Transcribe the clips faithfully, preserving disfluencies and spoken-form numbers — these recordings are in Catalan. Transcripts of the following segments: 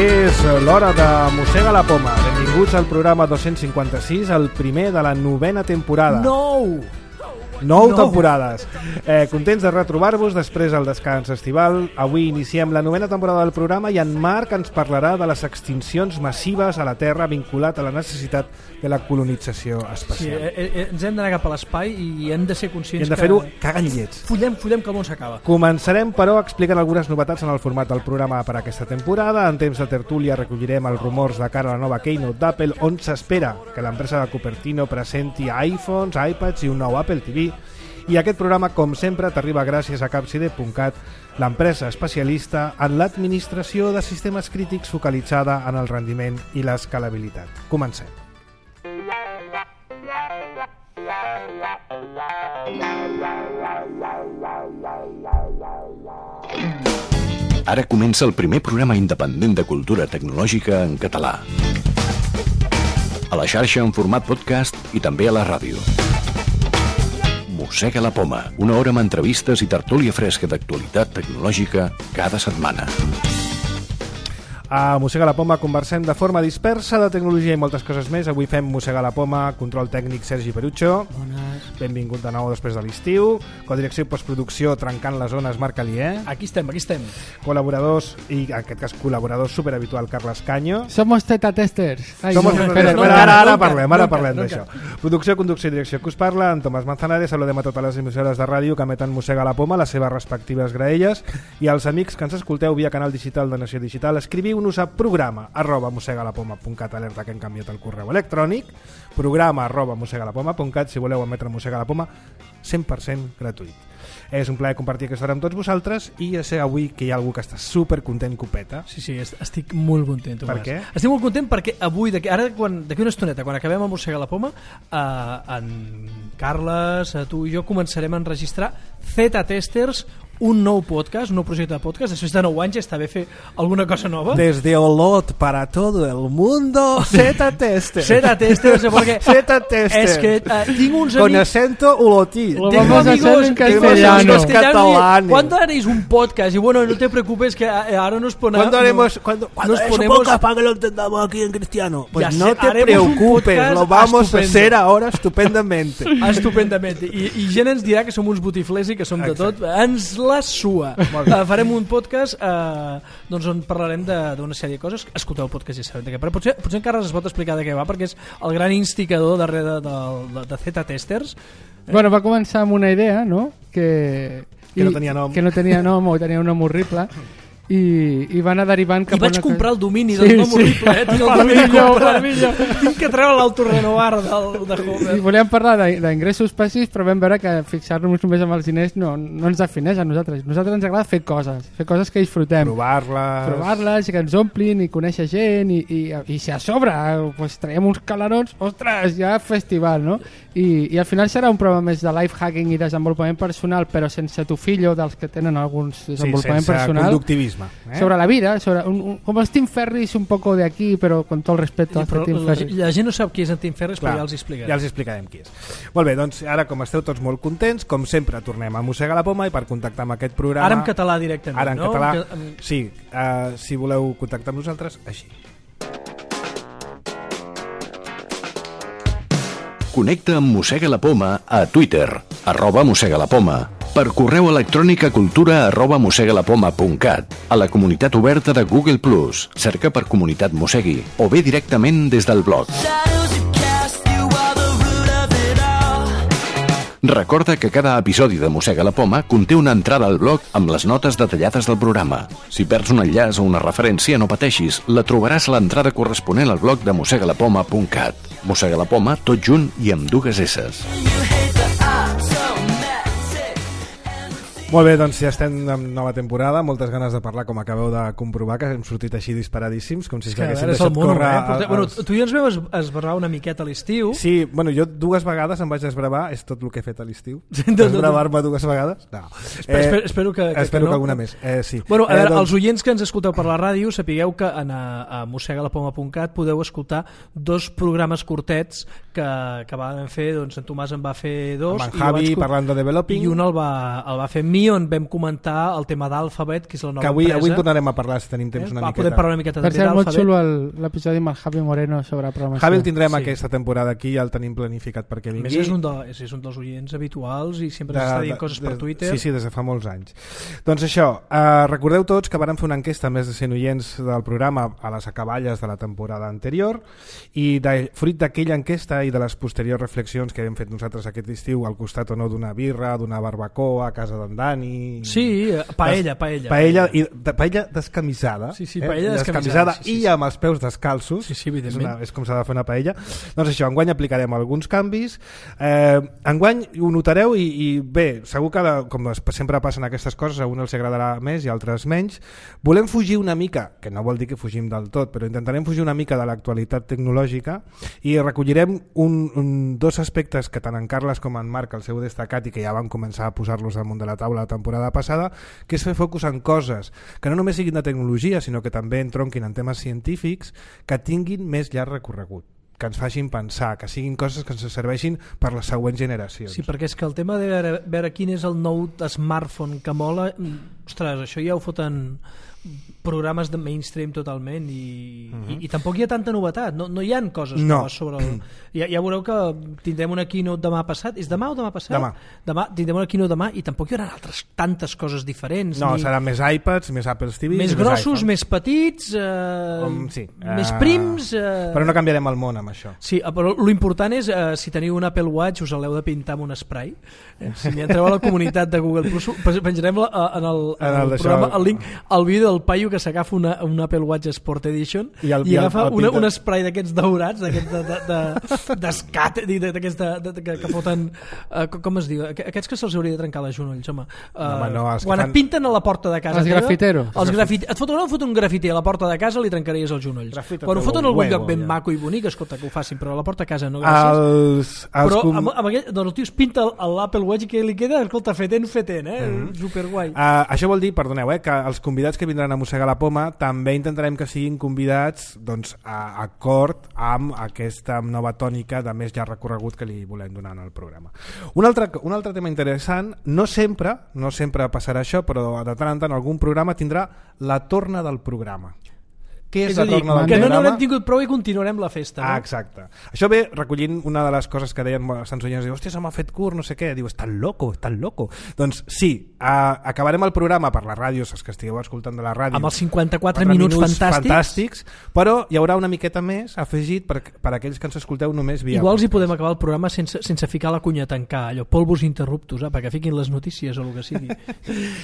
És l'hora de Mossega la Poma. Benvinguts al programa dos-cents cinquanta-sis, el primer de la novena temporada. Nou! Nou no. temporades. Eh, contents de retrobar-vos després del descans estival. Avui iniciem la novena temporada del programa i en Marc ens parlarà de les extincions massives a la Terra vinculat a la necessitat de la colonització espacial. Sí, eh, eh, ens hem d'anar cap a l'espai i hem de ser conscients I hem de fer-ho cagant llets. Follem, follem que el món s'acaba. Començarem, però, explicant algunes novetats en el format del programa per aquesta temporada. En temps de tertúlia recollirem els rumors de cara a la nova Keynote d'Apple, on s'espera que l'empresa de Cupertino presenti iPhones, iPads i un nou Apple T V. I aquest programa, com sempre, t'arriba gràcies a capcide punt cat, l'empresa especialista en l'administració de sistemes crítics focalitzada en el rendiment i l'escalabilitat. Comencem. Ara comença el primer programa independent de cultura tecnològica en català. A la xarxa en format podcast i també a la ràdio. Mossega la Poma, una hora amb entrevistes i tertúlia fresca d'actualitat tecnològica cada setmana. A Mossega la Poma conversem de forma dispersa de tecnologia i moltes coses més. Avui fem Mossega la Poma, control tècnic Sergi Perucho. Bones. Benvingut de nou després de l'estiu. Codirecció i postproducció trencant les zones Marc Alier. Aquí estem, aquí estem. Col·laboradors, i en aquest cas col·laborador superhabitual Carles Canyo. Somos teta testers. Ai, Somos no, teta espera, testers. no, Ara, ara no, parlem, no, ara no, parlem no, d'això. no. Producció, conducció i direcció que us parla, en Tomàs Manzanares. Saludem a totes les emissores de ràdio que emeten Mossega la Poma, les seves respectives graelles, i als amics que ens escolteu via canal digital de Nació Digital. Escriviu-nos a programa arroba mossegalapoma punt cat, alerta que hem canviat el correu electrònic, programa arroba mossegalapoma punt cat, si voleu emetre Mossega la Poma, cent per cent gratuït. És un plaer compartir aquesta hora amb tots vosaltres i ja sé avui que hi ha algú que està super content copeta. Sí, sí, est- estic molt content, Tomàs. Per què? Estic molt content perquè avui, d'aquí, ara quan, d'aquí una estoneta, quan acabem el Mossega la Poma, eh, en Carles, eh, tu i jo començarem a enregistrar Zeta Testers, un nou podcast, un nou projecte de podcast. Després de nou anys està bé fer alguna cosa nova. Desde Olot para todo el mundo, Zeta Tester. Zeta Testers, perquè Zeta Tester. és que eh, tinc uns Con amics... acento olotí. Lo Tengo vamos a hacer amigos en que- castellano. amigos Catalán. ¿Cuándo haréis un podcast? Y bueno, no te preocupes que eh, ahora nos ponemos... ¿Cuándo haremos cuando, cuando nos haremos ponemos- un podcast para que lo entendamos aquí en cristiano? Pues Ya no sé, te haremos un preocupes, podcast lo vamos estupendo. a hacer ahora estupendamente. Estupendament. I, I gent ens dirà que som uns botiflers i que som de tot. Ens la sua. Uh, farem un podcast uh, doncs on parlarem de- d'una sèrie de coses. Escolteu el podcast i ja sabem de què. Però potser, potser encara es pot explicar de què va, perquè és el gran instigador darrere de, de, de Zeta Testers. Bueno, va començar amb una idea, no? Que, Que no tenia nom. Que no tenia nom o tenia un nom horrible. I, i va anar derivant cap I vaig a una comprar el domini Sí, del nom sí. horrible. Eh? Tinc el Per domini millor, comprat. per millor. Tinc que treure l'autorenovar del, de Homer. I volíem parlar de- d'ingressos passius, però vam veure que fixar-nos només amb els diners no, no ens defineix a nosaltres. A nosaltres ens agrada fer coses, fer coses que disfrutem. Provar-les. Provar-les i que ens omplin i conèixer gent i, i, i si a sobre pues, traiem uns calarons, ostres, ja festival, no? I, i al final serà un programa més de life hacking i desenvolupament personal, però sense tufillo dels que tenen alguns Sí, desenvolupament sense personal. conductivisme. Eh? Sobre la vida, sobre un, un, com els Tim Ferris un poco de aquí, però con todo el respeto Sí, als però Tim la, Ferris. la gent no sap qui és en Tim Ferris, Clar, però ja els explicaré. Ja els explicarem qui és. Molt bé, doncs ara com esteu tots molt contents, com sempre tornem a Mossega la Poma i per contactar amb aquest programa... Ara en català directament, Ara en no? català, Que- em- sí. Uh, si voleu contactar amb nosaltres, així. Connecta amb Mossega la Poma a Twitter, arroba Mossega la Poma, per correu electrònic a cultura arroba mossegalapoma punt cat, a la comunitat oberta de Google plus, cerca per Comunitat Mossegui, o bé directament des del blog. Recorda que cada episodi de Mossega la Poma conté una entrada al blog amb les notes detallades del programa. Si perds un enllaç o una referència, no pateixis, la trobaràs a l'entrada corresponent al blog de mossegalapoma punt cat. Mossega la Poma, tot junt i amb dues esses. Molt bé, doncs ja estem en nova temporada, moltes ganes de parlar, com acabeu de comprovar, que hem sortit així disparadíssimos, com si es Que, a haguéssim veure, és el deixat mono, córrer... eh? Portem- el- Bueno, els- tu i jo ens vam es- esbarrar una miqueta a l'estiu. Sí, bueno, jo dues vegades em vaig desbravar, és tot el que he fet a l'estiu. No, no, no. Desbravar-me dues vegades? No. Espero, espero, espero que, que, espero que, que no. alguna més, eh, sí. Bueno, a eh, veure, doncs- els oients que ens escolteu per la ràdio, sapigueu que en a, a mossegalapoma punt cat podeu escoltar dos programes curtets que, que van fer, doncs en Tomàs en va fer dos Amb en i jo Javi vaig co- parlant de developing. i un el va, el va fer amb mi Neon vam comentar el tema d'Alphabet, que és la nova que avui, empresa. avui en tornarem a parlar si tenim temps eh? una Va, miqueta. podem parlar una miqueta Per també cert, molt d'Alphabet. xulo el- l'episodi amb el Javi Moreno sobre programació. Javi el tindrem Sí. aquesta temporada aquí, ja el tenim planificat perquè A vingui. més, és un, de, és, és un dels oients habituals i sempre De- ens està de- dient coses per de- Twitter. Sí, sí, des de fa molts anys. Doncs això, eh, recordeu tots que vàrem fer una enquesta a més de cent oients del programa a les acaballes de la temporada anterior i de, fruit d'aquella enquesta i de les posteriors reflexions que hem fet nosaltres aquest estiu al costat o no d'una birra, d'una barbacoa a casa d'en Dani... Sí, eh, paella, paella. Paella, i, de, paella descamisada, Sí, sí, paella descamisada, descamisada sí, sí, i sí. amb els peus descalços. Sí, sí, és, evidentment. una, és com s'ha de fer una paella. Doncs això, enguany aplicarem alguns canvis. Eh, enguany ho notareu i, i bé, segur que la, com sempre passen aquestes coses, a un els agradarà més i a altres menys. Volem fugir una mica, que no vol dir que fugim del tot, però intentarem fugir una mica de l'actualitat tecnològica i recollirem un, un, dos aspectes que tant en Carles com en Marc el seu destacat i que ja vam començar a posar-los damunt de la taula la temporada passada, que és fer focus en coses que no només siguin de tecnologia, sinó que també entronquin en temes científics que tinguin més llarg recorregut, que ens facin pensar, que siguin coses que ens serveixin per les següents generacions. Sí, perquè és que el tema de veure, veure quin és el nou smartphone que mola, ostres, això ja ho foten programes de mainstream totalment i, uh-huh. i, i tampoc hi ha tanta novetat, no, no hi ha coses no. noves sobre el... Ja, ja veureu que tindrem una keynote demà passat, és demà o demà passat? Demà. Demà tindrem una keynote demà i tampoc hi haurà altres tantes coses diferents. No, ni... seran més iPads, més Apple T V, més més grossos, iPhone. més petits, eh, Com, sí. més uh, prims... Eh... Però no canviarem el món amb això. Sí, però l'important és, eh, si teniu un Apple Watch us l'heu de pintar amb un spray. Eh? Si m'hi entreu a la comunitat de Google Plus, penjarem la, en el, en En el el programa d'això. el link, el vídeo del paio que s'agafa una, un Apple Watch Sport Edition I i, el- i i el- agafa el una, pinta. un spray d'aquests daurats, d'aquests de, de, de, d'escat, d'aquests de, de, de, que, que foten, eh, com es diu, aquests que se'ls hauria de trencar les genolls, home. Eh, home, no, els que quan fan- et pinten a la porta de casa Els teva, grafiteros. els grafite... et foten, no, et foten un grafiter a la porta de casa, li trencaries els genolls. Grafita Quan ho tot foten el a algun huevo, lloc ben ja. maco i bonic, escolta, que ho facin, però a la porta de casa no, gràcies. Els, els Però com... amb, amb aquell, doncs el tio es pinta l'Apple Watch i que li queda, escolta, fetent, fetent, eh? Mm-hmm. Superguai. Uh, això vol dir, perdoneu, eh, que els convidats que vindran a mossegar la poma també intentarem que siguin convidats doncs, a acord amb aquesta nova tònica de més llarg recorregut que li volem donar en el programa. Un altre, un altre tema interessant, no sempre, no sempre passarà això, però de tant en tant algun programa tindrà la torna del programa. Què és, És la a dir, torna del que no programa? n'haurem tingut prou i continuarem la festa. Ah, No? exacte. Això ve recollint una de les coses que deien bastants oients, diu, hòstia, se m'ha fet curt, no sé què, diu, estàs loco, estàs loco. Doncs sí, uh, acabarem el programa per les ràdios, els que estigueu escoltant de la ràdio, Amb els cinquanta-quatre quatre minuts, fantàstics. fantàstics, però hi haurà una miqueta més afegit per, per aquells que ens escolteu només via... Igual hi podcast. podem acabar el programa sense, sense ficar la cunya a tancar, allò, polvos interruptus, eh, perquè fiquin les notícies o el que sigui.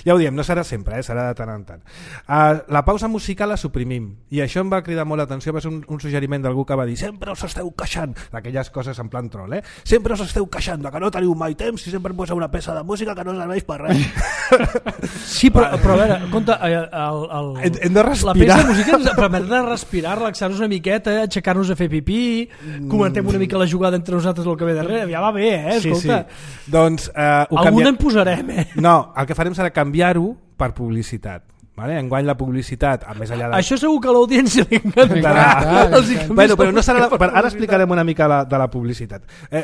Ja ho diem, no serà sempre, eh? Serà de tant en tant. Uh, la pausa musical la suprimim, i això em va cridar molt l'atenció, va ser un, un suggeriment d'algú que va dir sempre us esteu queixant, d'aquelles coses en plan troll, eh? Sempre us esteu queixant de que no teniu mai temps i sempre poseu una peça de música que no serveix per res. Sí, però, però a veure, compte, eh, el, el, Hem- hem de respirar. la peça de música ens permet de respirar, relaxar-nos una miqueta, aixecar-nos a fer pipí, comentem una mica la jugada entre nosaltres el que ve darrere, ja va bé, eh? Sí, Escolta, sí. Doncs, uh, ho alguna canvia... en posarem, eh? No, el que farem serà canviar-ho per publicitat. Vale? Enguany la publicitat, a més allà de... Això segur que a l'audiència li encantarà. M'encantarà. Els hi canvies Bueno, però no la serà la... música per Ara publicitat. explicarem una mica la, de la publicitat. Eh,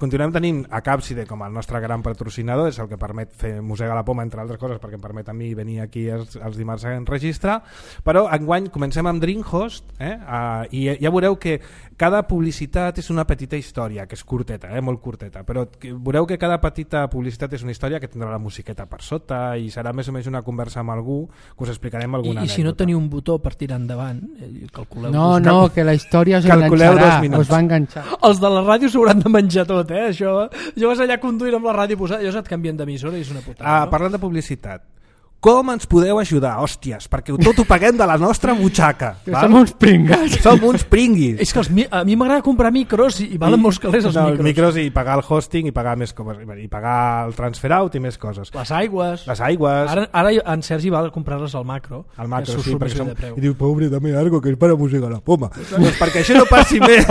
continuem tenint a Capside com el nostre gran patrocinador, és el que permet fer Mossega la Poma, entre altres coses, perquè em permet a mi venir aquí els, els dimarts a enregistrar, però enguany comencem amb Dreamhost, eh? uh, i ja veureu que cada publicitat és una petita història, que és curteta, eh? Molt curteta, però que, veureu que cada petita publicitat és una història que tindrà la musiqueta per sota i serà més o menys una conversa amb algú que us explicarem I, alguna I si no anècdota. teniu un botó per tirar endavant, eh, calculeu. No, us- no, que la història us Calculeu dos enganxarà, minuts. us va enganxar. Els de la ràdio s'hauran de menjar tot, eh? Això, jo vas allà conduint amb la ràdio posada, jo et canvien d'emissora i és una putada. Ah, no? parlant de publicitat, com ens podeu ajudar? Hòsties, perquè tot ho paguem de la nostra butxaca. Que val? som uns pringats. Som uns pringuis. És que els, mi- a mi m'agrada comprar micros i, i valen molts calés els no, micros. els micros i pagar el hosting i pagar més coses, i pagar el transfer out i més coses. Les aigües. Les aigües, Ara, ara en Sergi va a comprar-les al macro. el macro, que sí, surt perquè més bé som... de preu. I diu, pobre, dame algo que és para música la poma. Doncs perquè això no passi més,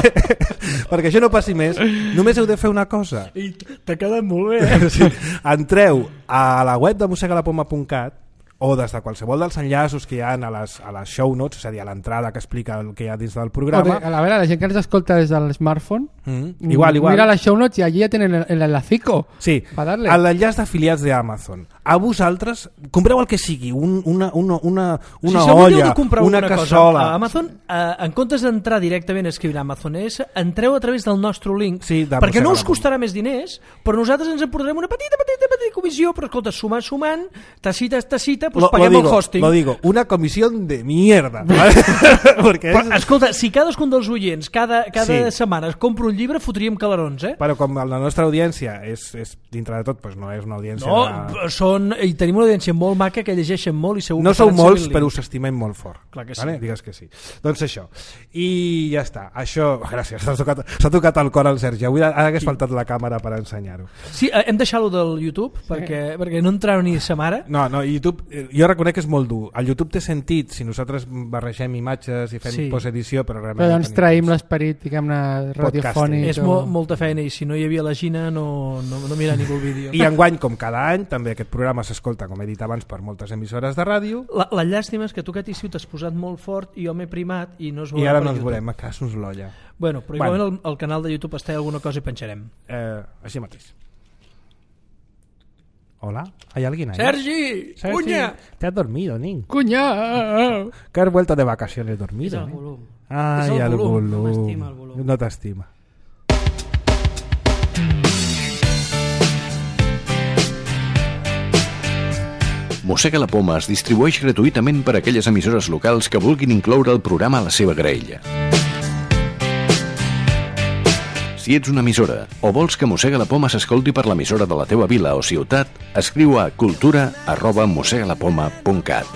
perquè això no passi més, només heu de fer una cosa. I t'ha quedat molt bé, eh? Sí. Entreu a la web de mossegalapoma punt cat, o des de qualsevol dels enllaços que hi ha a les, a les show notes, és a dir, a l'entrada que explica el que hi ha dins del programa. A veure, la gent que ens escolta des de l'smartphone, mm, igual, igual. mira les show notes i allí ja tenen el, el enlacico. Sí, l'enllaç d'afiliats d'Amazon. A vosaltres, compreu el que sigui, un, una, una, una, una si olla, una, una cassola... A Amazon, eh, en comptes d'entrar directament a escriure Amazon S, entreu a través del nostre link, sí, perquè no us costarà més diners, però nosaltres ens emportarem una petita, petita, petita comissió, però escolta, sumant, sumant, tacita, tacita, pues lo, paguem lo digo, el hosting. Lo digo, una comisión de mierda. ¿Vale? Perquè però, és... Escolta, si cadascun dels oients cada, cada sí. setmana es compra un llibre, fotríem calarons, eh? Però com la nostra audiència és, és dintre de tot, pues no és una audiència... No, de... són, i tenim una audiència molt maca que llegeixen molt i segur no que sou molts, però us estimem molt fort. Clar que sí. Vale? Digues que sí. Doncs això. I ja està. Això... Gràcies, s'ha tocat, s'ha tocat el cor al Sergi. Avui ara hagués faltat la càmera per ensenyar-ho. Sí, hem deixat-lo del YouTube, sí. perquè, perquè no entrau ni sa mare. No, no, YouTube, jo reconec que és molt dur. El YouTube té sentit si nosaltres barregem imatges i fem sí. postedició, però realment... Però doncs traïm l'esperit, diguem-ne, radiofònic. És o... mo molta feina i si no hi havia la Gina no, no, no mira ningú el vídeo. I enguany, com cada any, també aquest programa s'escolta, com he dit abans, per moltes emissores de ràdio. La, la llàstima és que tu, Cati, si t'has posat molt fort i jo m'he primat i no es veurà I ara per no ens YouTube. veurem, a casos l'olla. Bueno, però igualment bueno. el, el canal de YouTube està alguna cosa i penjarem. Eh, així mateix. Hola, ¿hay alguien ahí? ¡Sergi! Sergi, ¡Cuña! ¿te has dormido, Nin? ¡Cuña! Que has vuelto de vacaciones dormido. Es el volum. Ay, es el, el volum. volum. No m'estima el volum. No t'estima. Mossega la Poma es distribueix gratuïtament per a aquelles emissores locals que vulguin incloure el programa a la seva graella. Si ets una emissora o vols que Mossega la Poma s'escolti per l'emissora de la teva vila o ciutat, escriu a cultura arroba mossegalapoma punt cat.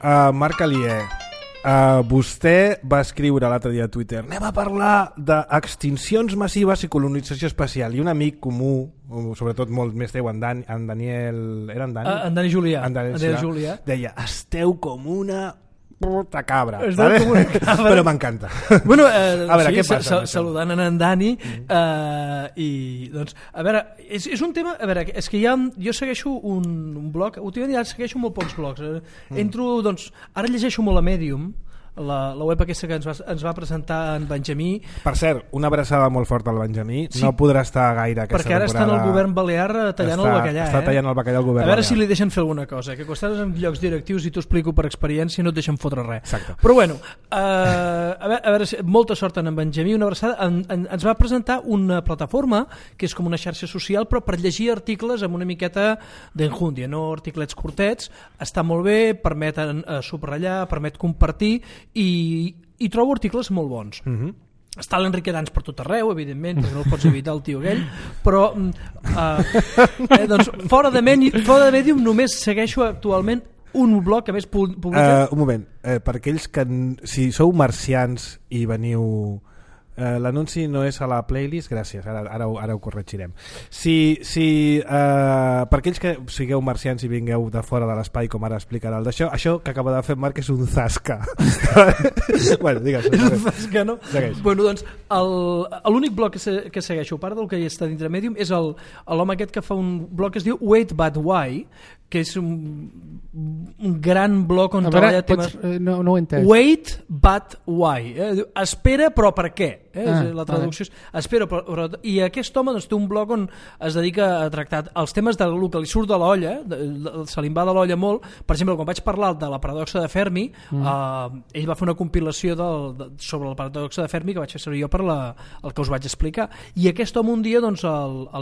Uh, Marc Alier, uh, vostè va escriure l'altre dia a Twitter: anem a parlar d'extincions massives i colonització espacial, i un amic comú, sobretot molt més teu, en, Dan, en Daniel... Era en Dani? Uh, en Dani Julià. En Dani, en Dani Julià. Deia, esteu com una... puta cabra, ¿vale? Como una cabra. Però m'encanta. Bueno, eh, a veure, sí, què passa? Sal saludant en Dani, mm. eh, i doncs, a veure, és, és un tema, a veure, és que ja, jo segueixo un, un blog, últimament ja segueixo molt pocs blogs, eh? mm. entro, doncs, ara llegeixo molt a Medium, la, la web aquesta que ens va, ens va presentar en Benjamí. Per cert, una abraçada molt forta al Benjamí. Sí, no podrà estar gaire aquesta perquè ara temporada. està en el govern balear tallant està, el bacallà. Està eh? tallant el bacallà al govern A veure balear. si li deixen fer alguna cosa, que quan estàs en llocs directius i t'ho explico per experiència no et deixen fotre res. Exacte. Però bueno, eh, a veure, a veure, molta sort en Benjamí, una abraçada. En, en, ens va presentar una plataforma que és com una xarxa social, però per llegir articles amb una miqueta d'enjúndia, no articlets curtets. Està molt bé, permet eh, subratllar, permet compartir i i trobo articles molt bons. Uh-huh. Està l'Enrique Dans per tot arreu, evidentment, perquè no el pots evitar el tio aquell, però uh, eh, doncs, fora, de Medium, fora de Medium només segueixo actualment un blog que més publica... Uh, un moment, uh, per aquells que si sou marcians i veniu... Uh, l'anunci no és a la playlist, gràcies, ara, ara, ara ho corregirem. Si, si uh, per aquells que sigueu marcians i vingueu de fora de l'espai, com ara explicarà el d'això, això que acaba de fer Marc és un zasca. Bueno, digues. És un zasca, no? Segueix. Bueno, doncs, l'únic blog que, se, que segueixo, a part del que hi està dintre Medium, és l'home aquest que fa un blog que es diu Wait But Why, que és un, un gran blog on treballa temes... Pots, no, no ho he entès. Wait But Why. Eh? Espera, però per què? Eh? Ah, la traducció és espera, però, però... I aquest home doncs, té un blog on es dedica a tractar els temes del que li surt de l'olla, se li va de l'olla molt. Per exemple, quan vaig parlar de la paradoxa de Fermi, mm. eh, ell va fer una compilació del, de, sobre la paradoxa de Fermi que vaig fer servir jo per la, el que us vaig explicar. I aquest home un dia, doncs,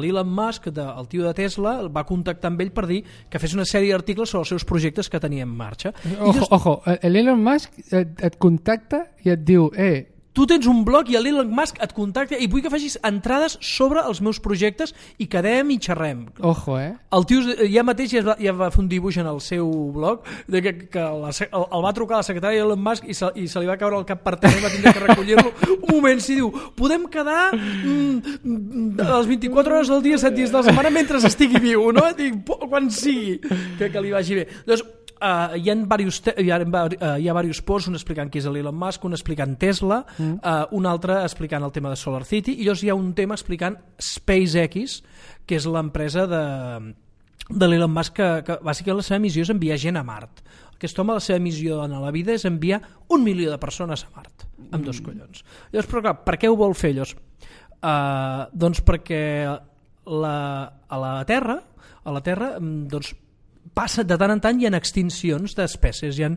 l'Elon Musk, de, el tio de Tesla, va contactar amb ell per dir que fes una sèrie d'articles sobre els seus projectes que tenia en marxa. Ojo, just... ojo, l'Elon Musk et, et contacta i et diu, eh, tu tens un blog i l'Elon Musk et contacta i vull que facis entrades sobre els meus projectes i quedem i xerrem. Ojo, eh? El tio ja mateix ja, va, ja va fer un dibuix en el seu blog de que, que la, el, el va trucar a la secretària d'Elon Musk i se, i se li va caure el cap per terra i va tindre que recollir-lo. Un moment, si diu, podem quedar mm, a les vint-i-quatre hores del dia, set dies de la setmana mentre estigui viu, no? Dic, quan sigui que, que li vagi bé. Doncs uh, hi ha diversos te- hi ha, uh, hi ha diversos posts, un explicant qui és l'Elon Musk, un explicant Tesla, mm. uh, un altre explicant el tema de Solar City, i llavors hi ha un tema explicant SpaceX, que és l'empresa de, de l'Elon Musk, que, que bàsicament la seva missió és enviar gent a Mart. Aquest home, la seva missió en la vida és enviar un milió de persones a Mart, amb dos collons. Llavors, però clar, per què ho vol fer llavors? Uh, doncs perquè la, a la Terra, a la Terra, doncs, passa de tant en tant hi ha extincions d'espècies, hi ha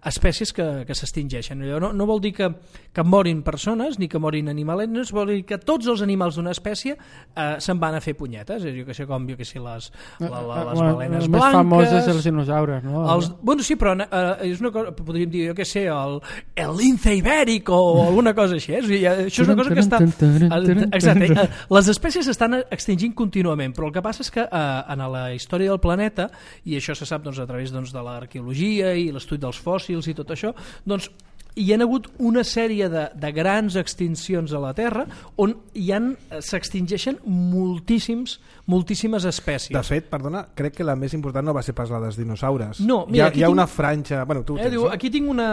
espècies que, que s'extingeixen. No, no vol dir que, que morin persones ni que morin animalets, vol dir que tots els animals d'una espècie eh, se'n van a fer punyetes, jo que sé com jo que sé, les, la, la, les bueno, balenes el blanques... més famós és els dinosaures, no? Els, bueno, sí, però eh, és una cosa, podríem dir, jo que sé, el, el lince ibèric o alguna cosa així, eh? Això és una cosa que està... Exacte, eh, les espècies s'estan extingint contínuament, però el que passa és que eh, en la història del planeta, i això se sap doncs, a través doncs, de l'arqueologia i l'estudi dels fòssils i tot això, doncs hi ha hagut una sèrie de, de grans extincions a la Terra on hi han, s'extingeixen moltíssims, moltíssimes espècies. De fet, perdona, crec que la més important no va ser pas la dels dinosaures. No, mira, hi ha, hi ha tinc... una franja... Bueno, tu eh, tens, diu, no? aquí tinc una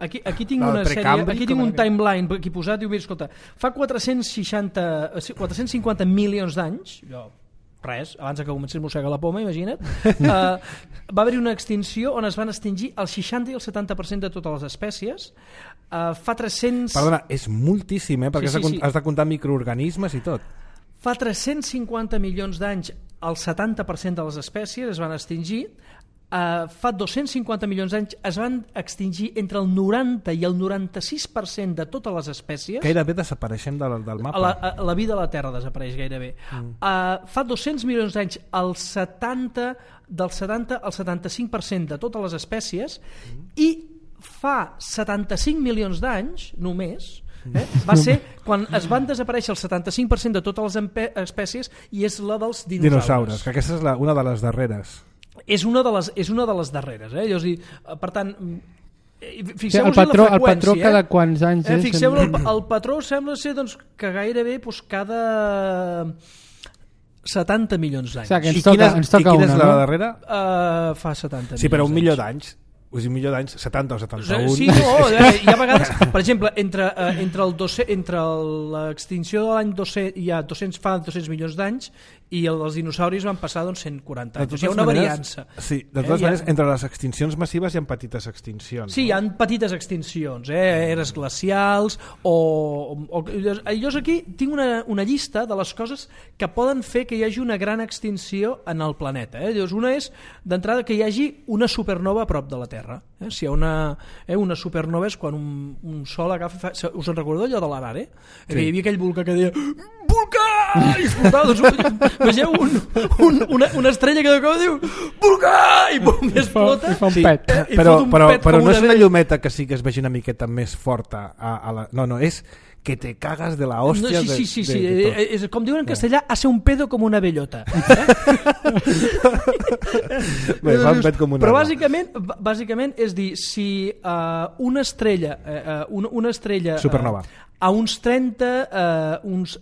aquí, aquí tinc La una sèrie, aquí tinc un que... timeline aquí posat, diu, mira, escolta, fa quatre-cents seixanta, quatre-cents cinquanta milions d'anys, jo res, abans que comencés a mossegar la poma, imagina't, uh, va haver-hi una extinció on es van extingir el seixanta i el setanta per cent de totes les espècies. Uh, fa tres-cents... Perdona, és moltíssim, eh? Perquè sí, sí, has, de, sí. has de comptar microorganismes i tot. Fa tres-cents cinquanta milions d'anys el setanta per cent de les espècies es van extingir. Uh, fa dos-cents cinquanta milions d'anys es van extingir entre el noranta i el noranta-sis per cent de totes les espècies. Gairebé desapareixem del, del mapa. La, la vida a la Terra desapareix gairebé. Mm. Uh, fa dos-cents milions d'anys el setanta, del setanta al setanta-cinc per cent de totes les espècies mm. i fa setanta-cinc milions d'anys només eh, va ser quan es van desaparèixer el setanta-cinc per cent de totes les espècies i és la dels dinosaures. Dinosaures, que aquesta és la, una de les darreres. És una de les, és una de les darreres. Eh? Llavors, per tant, fixeu-vos sí, el patró, el patró cada eh? quants anys eh? és... Fixeu el, el patró sembla ser doncs, que gairebé doncs, cada setanta milions d'anys. O sigui, que ens I toca, quina, ens toca i quina una, és la no? darrera? Uh, fa setanta sí, però un milió d'anys. d'anys. O sigui, un milió d'anys, setanta o setanta-un. Sí, no, hi ha vegades, per exemple, entre, uh, entre, el doce, entre l'extinció de l'any dos-cents, hi ha dos-cents, fa dos-cents milions d'anys i el dels dinosauris van passar doncs, cent quaranta anys. O sigui, hi ha una maneres, variança. Sí, de totes eh, maneres, ha... entre les extincions massives hi ha petites extincions. Sí, no? hi ha petites extincions, eh? eres glacials o... o llavors aquí tinc una, una llista de les coses que poden fer que hi hagi una gran extinció en el planeta. Eh? Llavors una és, d'entrada, que hi hagi una supernova a prop de la Terra. Eh? Si hi ha una, eh, una supernova és quan un, un sol agafa... Fa... Us en recordeu allò de l'Arare? Eh? Sí. Hi havia aquell volcà que deia volcà! I explotava, doncs, vegeu un, un, una, una estrella que de cop diu volcà! I pum, i explota. I fa un pet. Eh, i però un però, pet però no una és una llumeta que sí que es vegi una miqueta més forta. A, a la... No, no, és que te cagas de la hòstia. No, sí, sí, sí, de, sí. de, de eh, és, com diuen en castellà, hace un pedo com una bellota. Eh? Bé, fa un pet com una però roba. bàsicament, bàsicament és dir, si uh, una estrella, uh, una, una estrella supernova uh, a uns trenta, uh, uns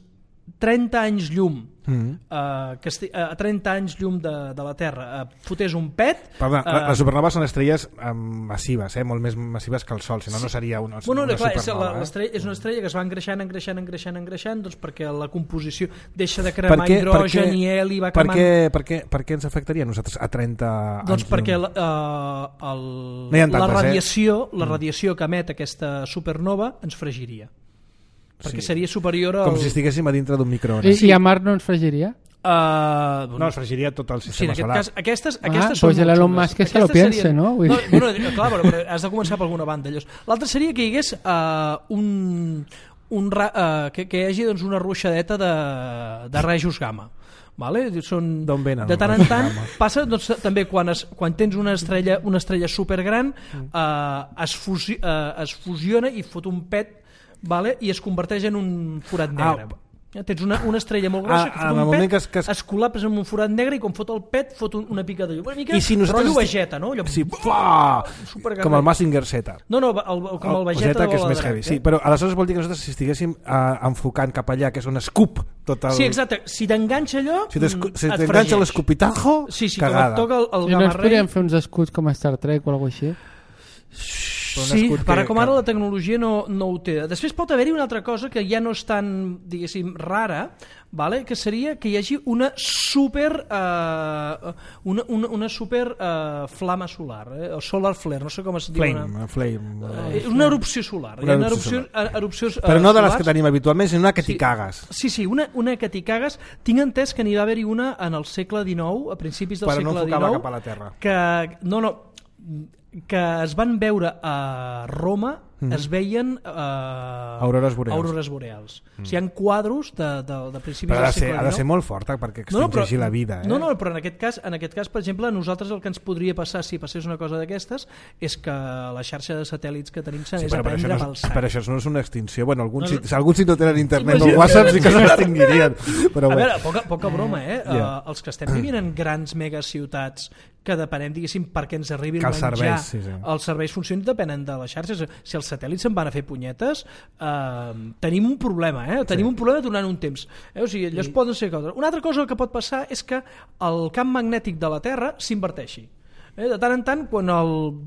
trenta anys llum, mm. uh, que esti, uh, a trenta anys llum de, de la Terra, uh, fotés un pet... Perdona, uh, les supernoves són estrelles um, massives, eh? Molt més massives que el Sol, si no, no seria una, bueno, una clar, supernova. És, la, és una estrella que es va engreixant, engreixant, engreixant, engreixant, doncs perquè la composició deixa de cremar què, hidrogen què, i heli va per cremant... què, per, què, per què ens afectaria a nosaltres a trenta doncs anys? perquè la, uh, el, no tantes, la radiació, eh? la radiació que emet aquesta supernova ens fregiria. Perquè sí. seria superior al... Com si estiguéssim a dintre d'un microones. I, I a Mar no ens fregiria? Uh, no, es fregiria tot el sistema sí, en aquest solar. Cas, aquestes, ah, aquestes pues són l'Elon Musk que se lo piense, serien... no? no bueno, clar, però, però has de començar per alguna banda. L'altre seria que hi hagués uh, un... un ra... uh, que, que hi hagi doncs, una ruixadeta de, de rajos gamma. Vale? Són, venen, de tant en tant passa doncs, també quan, es, quan tens una estrella, una estrella supergran mm. uh, es, fusi, uh, es fusiona i fot un pet, vale? I es converteix en un forat negre. Ah, Tens una, una estrella molt grossa Ah, que en fot el un moment pet, que es- que es- es col·lapsa en un forat negre i quan fot el pet fot un, una pica de llum. Una mica I si nosaltres rotllo estic- Vegeta, no? Allò, Sí, fuà! supercarrer. Com el Mazinger Z. No, no, el, com el Vegeta Zeta, que és de més Drac, heavy. eh? Sí, però aleshores vol dir que nosaltres si estiguéssim uh, enfocant cap allà, que és on escup tot el... Sí, exacte. Si t'enganxa allò, Si t'escu- mm, si et t'enganxa fregeix. l'escupitajo, Sí, sí, cagada. com et toca el, el Si no ens gamarrei. podríem fer uns escuts com a Star Trek o alguna cosa així. Però un Sí, escut per que- com ara que- la tecnologia no, no ho té. Després pot haver-hi una altra cosa que ja no és tan, diguéssim, rara, vale? Que seria que hi hagi una super eh, una, una, una super eh, flama solar, eh? o solar flare, no sé com es diu. Flame, Una, flame. eh, una erupció solar. Una Hi ha erupció erupcions, eh, erupcions, Però eh, no de les solars. que tenim habitualment, sinó una que t'hi Sí. cagues. Sí, sí, una, una que t'hi cagues. Tinc entès que n'hi va haver-hi una en el segle dinou, a principis del Però no segle enfocava dinou, cap a la Terra. que, no, no, que es van veure a Roma, mm. es veien eh, Aurores boreals. aurores boreals. Mm. O sigui, hi ha quadros de, de, de principis Però ha del de, ser, segle ha de dinou. ser molt forta perquè No, no, extingeixi però- la vida. Eh? No, no, però en aquest cas, en aquest cas, per exemple, a nosaltres el que ens podria passar si passés una cosa d'aquestes és que la xarxa de satèl·lits que tenim Sí, s'anés però a per això, prendre no, pel és- sac. per això no és una extinció. Bueno, alguns, No, no, no. si, alguns si no tenen internet o Imagina't. WhatsApp sí que s'extinguirien. Però A bé. veure, poca, poca broma, eh? Ja. Uh, els que estem vivint en grans megaciutats que depenem, diguéssim, perquè ens arribi el Que els menjar, serveis, sí, sí. els serveis funcionin depenen de les xarxes. Si els satèl·lits se'n van a fer punyetes, eh, tenim un problema, eh? Tenim Sí. un problema durant un temps. Eh? O sigui, allò es poden ser coses. Una altra cosa que pot passar és que el camp magnètic de la Terra s'inverteixi. Eh? De tant en tant, quan el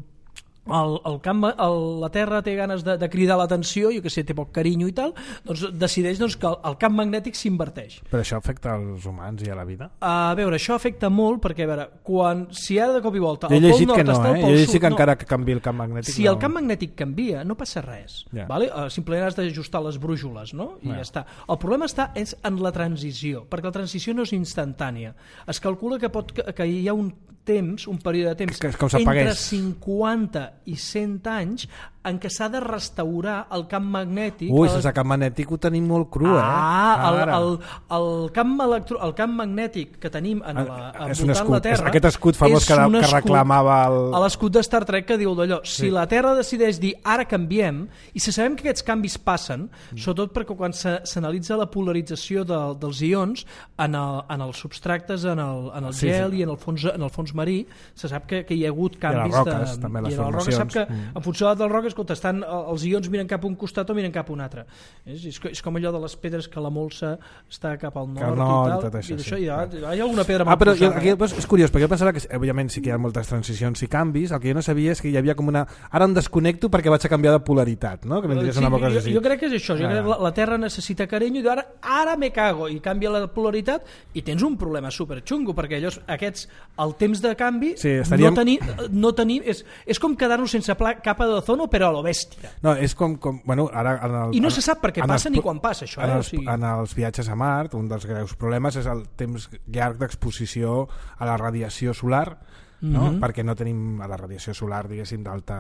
el, el camp, el, la Terra té ganes de, de cridar l'atenció, jo que sé, té poc carinyo i tal, doncs decideix doncs, que el, el camp magnètic s'inverteix. Però això afecta als humans i a la vida? A veure, això afecta molt perquè, a veure, quan, si ara de cop i volta Jo he el pol llegit nord que no, està al eh? pol Jo he llegit sud, que no. encara que canvi el camp magnètic... Si no... el camp magnètic canvia, no passa res. Ja. Vale? Uh, simplement has d'ajustar les brúixoles, no? I Ja. ja està. El problema està és en la transició, perquè la transició no és instantània. Es calcula que, pot, que, que hi ha un temps, un període de temps Que- que com entre s'apagués. cinquanta i cent anys en què s'ha de restaurar el camp magnètic. Ui, a les- sense camp magnètic ho tenim molt cru, eh? Ah, el, Ara. el, el, camp electro, el camp magnètic que tenim en la, Ah, és un envoltant escut, la Terra... és aquest escut famós és que, un que escut reclamava el... a l'escut de Star Trek que diu d'allò, si Sí. la Terra decideix dir ara canviem, i si sabem que aquests canvis passen, mm. sobretot perquè quan se- s'analitza la polarització de, dels ions en, el, en els substractes, en el, en el Sí, gel sí. i en el fons, en el fons marí, se sap que, que hi ha hagut les canvis roques, de... també, les i en les roques sap que formacions. Mm. en funció del roc, escolta, estan, els ions miren cap a un costat o miren cap a un altre. És, és, co- és com allò de les pedres que la molsa està cap al nord, Cap al nord i tal, i tot això, i d'això sí, hi, ha, clar. hi ha alguna pedra Ah, mal però jo, posada. aquí doncs, és curiós, perquè jo pensava que, òbviament, sí que hi ha moltes transicions i canvis, el que jo no sabia és que hi havia com una... Ara em desconnecto perquè vaig a canviar de polaritat, no? Que vindria a ser una cosa jo, així. jo crec que és això, jo Ah. crec que la, la Terra necessita carinyo i diu, ara, ara me cago, i canvia la polaritat i tens un problema superxungo, perquè allò, aquests, el temps de canvi Sí, estaríem- no tenir, no tenir és, és com quedar-nos sense pla, capa d'ozono però a lo bèstia. No, és com... com bueno, ara, en el, I no en- se sap per què en passa els ni pro- quan passa això, En eh? O els, sigui- en els viatges a Mart, un dels greus problemes és el temps llarg d'exposició a la radiació solar, no? Mhm. Perquè no tenim a la radiació solar, diguéssim, d'alta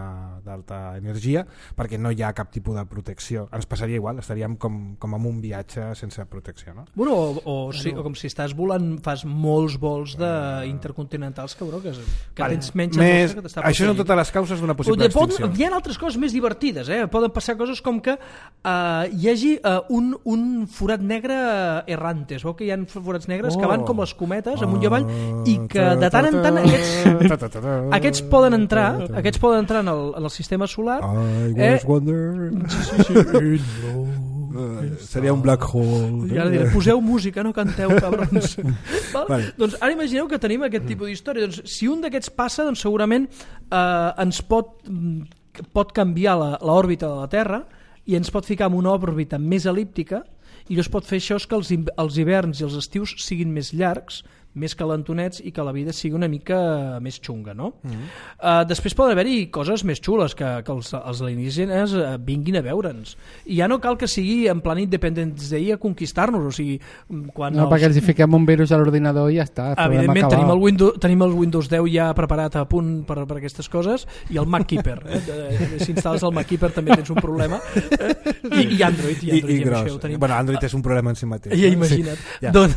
d'alta energia, perquè no hi ha cap tipus de protecció. Ens passaria igual, estaríem com, com en un viatge sense protecció, no? Bueno, o, o, sí, o com si estàs volant, fas molts vols de intercontinentals, cabró, que, que Vale. tens menys Més, atmosfera que t'està això són protegint. totes les causes d'una possible De pot, extinció. hi ha altres coses més divertides, eh? Poden passar coses com que uh, hi hagi uh, un, un forat negre errante. Es veu que hi ha forats negres Oh. que van com les cometes amunt i avall i que de tant en tant aquests, aquests poden entrar aquests poden entrar en el, en el sistema solar. I Eh, was wondering. Eh, seria un black hole. I ara diré, poseu música, no canteu, cabrons. Val? Vale. Doncs ara imagineu que tenim aquest tipus d'història. Doncs, si un d'aquests passa, doncs segurament eh, ens pot, mm, pot canviar la- l'òrbita de la Terra i ens pot ficar en una òrbita més elíptica i llavors pot fer això que els, hi- els hiverns i els estius siguin més llargs, més calentonets i que la vida sigui una mica més xunga, no? Mm -hmm. uh, després poden haver-hi coses més xules que, que els, els alienígenes uh, vinguin a veure'ns. I ja no cal que sigui en plan Independence Day a conquistar-nos, o sigui, quan No, els... perquè els hi fiquem un virus a l'ordinador i ja està. el problema Evidentment, acabat. tenim el, Windows, tenim el Windows deu ja preparat a punt per, per aquestes coses i el MacKeeper. Eh? De- Si instal·les el MacKeeper també tens un problema. Eh? I, I Android. I, I, Android i ja gros. això ho tenim. Bueno, Android és un problema en si mateix. Ja eh? imagina't. Ja. Doncs,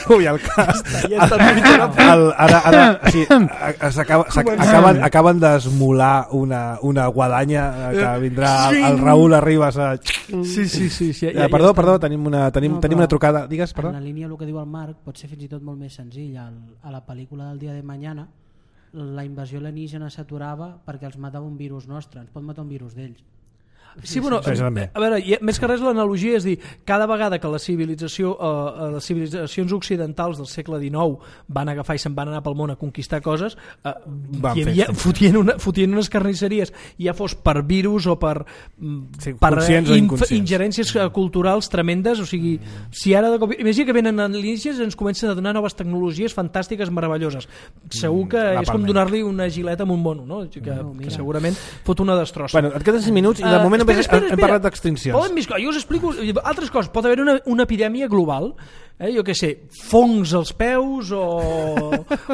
Ui, el cas. ja ja està el, el, ara, ara sí, s'acaba, acaben, acaben d'esmolar una, una guadanya que vindrà el, el Raül Arribas a... Sí, sí, sí, sí. Ja, ja perdó, perdó, tenim una, tenim, no, tenim una trucada. Digues, perdó. En la línia el que diu el Marc pot ser fins i tot molt més senzill. Al, a la pel·lícula del Dia de Mañana la invasió alienígena s'aturava perquè els matava un virus nostre. Ens pot matar un virus d'ells. Sí, bueno, a veure, més que res l'analogia és dir, cada vegada que la civilització, eh, les civilitzacions occidentals del segle dinou van agafar i se'n van anar pel món a conquistar coses, eh, hi havia, fotien, una, fotien unes carnisseries, ja fos per virus o per, sí, per inf, ingerències culturals tremendes, o sigui, si ara de cop... Imagina que venen alienígenes i ens comencen a donar noves tecnologies fantàstiques, meravelloses. Segur que mm, és com donar-li una gileta amb un mono, no? Que, no, que segurament fot una destrossa. Bueno, et queden cinc minuts i de moment espera, espera, hem parlat d'extincions. Jo us explico altres coses. Pot haver una, una epidèmia global, eh? Jo què sé, fongs als peus o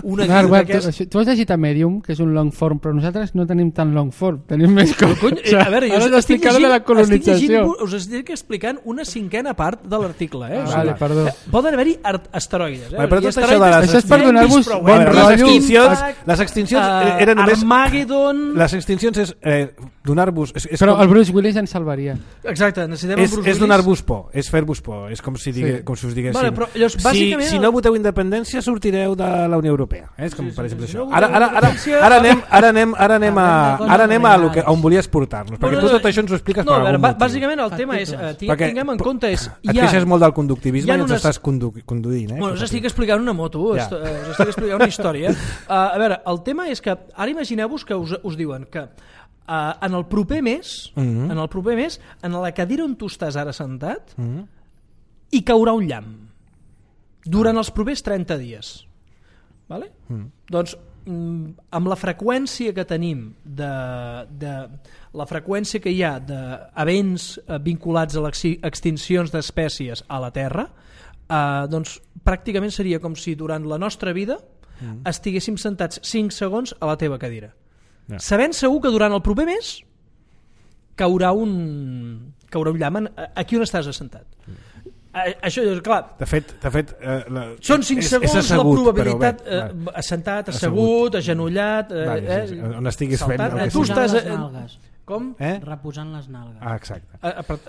una... No, web, tu, tu has llegit a Medium, que és un long form, però nosaltres no tenim tan long form, tenim més coses. Cony, o sigui, a veure, jo estic llegint, la colonització. estic llegint, us estic explicant una cinquena part de l'article. Eh? Ah, o sigui, vale, perdó. Poden haver-hi asteroides. Eh? Vale, però tot això, de les... això és per donar-vos bon bueno, les rotllo. extincions, les extincions uh, eren només... Armageddon... Les extincions és eh, donar-vos... És, és però com... el Bruce Willis ens salvaria. Exacte, necessitem és, el Bruce Willis. És donar-vos por, és fer-vos por, és com si, digue, sí. com si us diguéssim. Vale, però, llavors, bàsicament... si, si no voteu independència sortireu de la Unió Europea. Eh? És com, sí, per exemple, sí, sí. això. No ara, ara, ara, ara anem, ara anem, ara anem a, ara anem a, a, a on volies portar-nos, perquè bueno, tu tot això ens ho expliques no, per algun motiu. Bàsicament el tema és, uh, perquè, tinguem en compte és... Et queixes molt del conductivisme i ens estàs condu conduint. Eh? Bueno, us estic explicant una moto, ja. us, us estic explicant una història. Uh, a veure, el tema és que ara imagineu-vos que us, us diuen que uh, en el proper mes, mm -hmm. en el proper mes, en la cadira on tu estàs ara sentat, mm -hmm. hi caurà un llamp durant els propers trenta dies. Vale? Mm. Doncs amb la freqüència que tenim de, de la freqüència que hi ha d'events vinculats a les extincions d'espècies a la Terra, eh, doncs pràcticament seria com si durant la nostra vida mm. estiguéssim sentats cinc segons a la teva cadira, yeah. sabent segur que durant el proper mes caurà un caurà un llamp aquí on estàs assentat. Mm. Això és clar. De fet, de fet eh, la, són cinc és, segons és assegut, la probabilitat bé, eh, assentat, assegut, agenollat, eh, vale, sí, sí. on estiguis saltant, fent eh, tu estàs les nalgues. Com? Eh? Reposant les nalgues. Ah, exacte.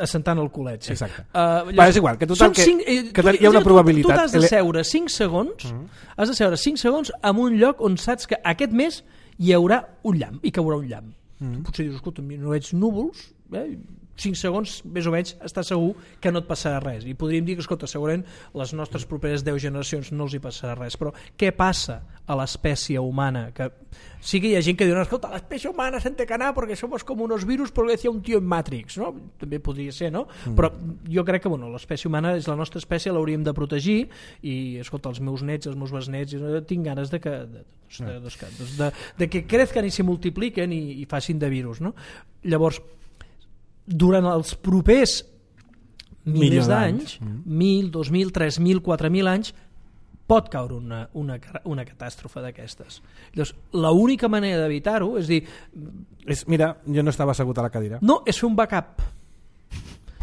Assentant el culet, sí. Exacte. Uh, Va, és igual, que total que, cinc, eh, que hi ha una probabilitat. Tu, tu t'has de seure cinc segons, uh -huh. has de seure cinc segons en un lloc on saps que aquest mes hi haurà un llamp, hi caurà un llamp. Uh -huh. Potser dius, escolta, no veig núvols, eh? cinc segons, més o menys, està segur que no et passarà res. I podríem dir que, escolta, segurament les nostres properes deu generacions no els hi passarà res. Però què passa a l'espècie humana? Que sí que hi ha gent que diu, escolta, l'espècie humana se'n té que anar perquè somos com unos virus, però decía un tio en Matrix, no? També podria ser, no? Mm. Però jo crec que, bueno, l'espècie humana és la nostra espècie, l'hauríem de protegir i, escolta, els meus nets, els meus besnets, tinc ganes de que, de, de, de, de, de que crezcan i se multipliquen i, i facin de virus, no? Llavors, durant els propers milers d'anys, mil, dos mil, tres mil, quatre mil anys, pot caure una, una, una catàstrofe d'aquestes. Llavors, l'única manera d'evitar-ho és dir... És, mira, jo no estava assegut a la cadira. No, és fer un backup.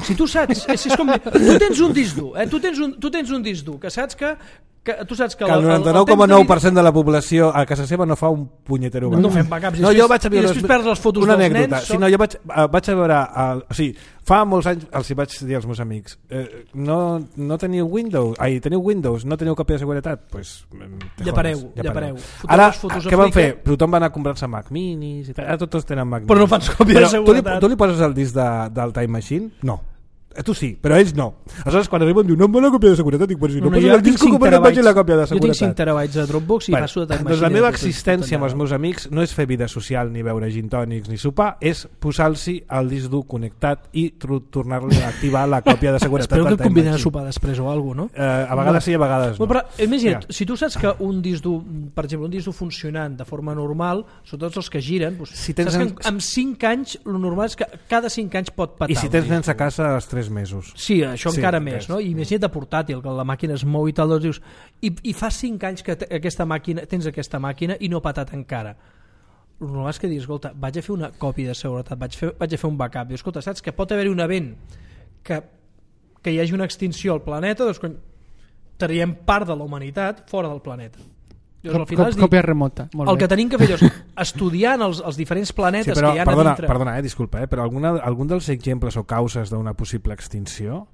Si tu saps, és, és com... Tu tens un disc dur, eh? tu, tens un, tu tens un disc dur, que saps que que tu saps que, que el noranta-nou coma nou per cent de la població a casa seva no fa un punyetero backup. No fem backups. No, jo vaig a veure I després perds les fotos una dels anècdota. nens. Sí, no, jo vaig, vaig a veure... El, o sigui, fa molts anys els hi vaig dir als meus amics eh, no, no teniu Windows, ai, teniu Windows, no teniu còpia de seguretat, pues, llapareu, llapareu. Ara, què van fer? Tothom va anar a comprar-se Mac Minis i tal. Ara tots tenen Mac Minis. Però no fan còpia de seguretat. Tu li, tu li poses el disc de, del Time Machine? No. Tu sí, però ells no. Aleshores, quan arriben, diu, no em va la còpia de seguretat. Dic, però si no, no poso el disc, com no vaig la còpia de seguretat? Jo tinc cinc terabytes de Dropbox i bueno, passo de Time Machine. Doncs la meva existència amb els meus amics no és fer vida social, ni beure gin tònics, ni sopar, és posar-los el disc dur connectat i tornar-li a activar la còpia de seguretat. Espero que et conviden a sopar després o alguna cosa, no? Eh, a vegades sí, a vegades no. Però, imagina't, si tu saps que un disc dur, per exemple, un disc dur funcionant de forma normal, sobretot els que giren, doncs, si tens saps que amb cinc anys, el normal és que cada cinc anys pot patar. I si tens nens a casa als tres mesos. Sí, això sí, encara més, no? I imagina't de portàtil, que la màquina es mou i tal, doncs dius, i, i fa cinc anys que aquesta màquina, tens aquesta màquina i no ha patat encara. El normal és que diguis, escolta, vaig a fer una còpia de seguretat, vaig, fer, vaig a fer un backup. Dius, escolta, saps que pot haver-hi un event que, que hi hagi una extinció al planeta, doncs, traiem part de la humanitat fora del planeta. Llavors, al final és dir, còpia remota. Molt el bé. que tenim que fer és estudiant els, els diferents planetes sí, però, que hi ha perdona, a dintre. Perdona, eh, disculpa, eh, però alguna, algun dels exemples o causes d'una possible extinció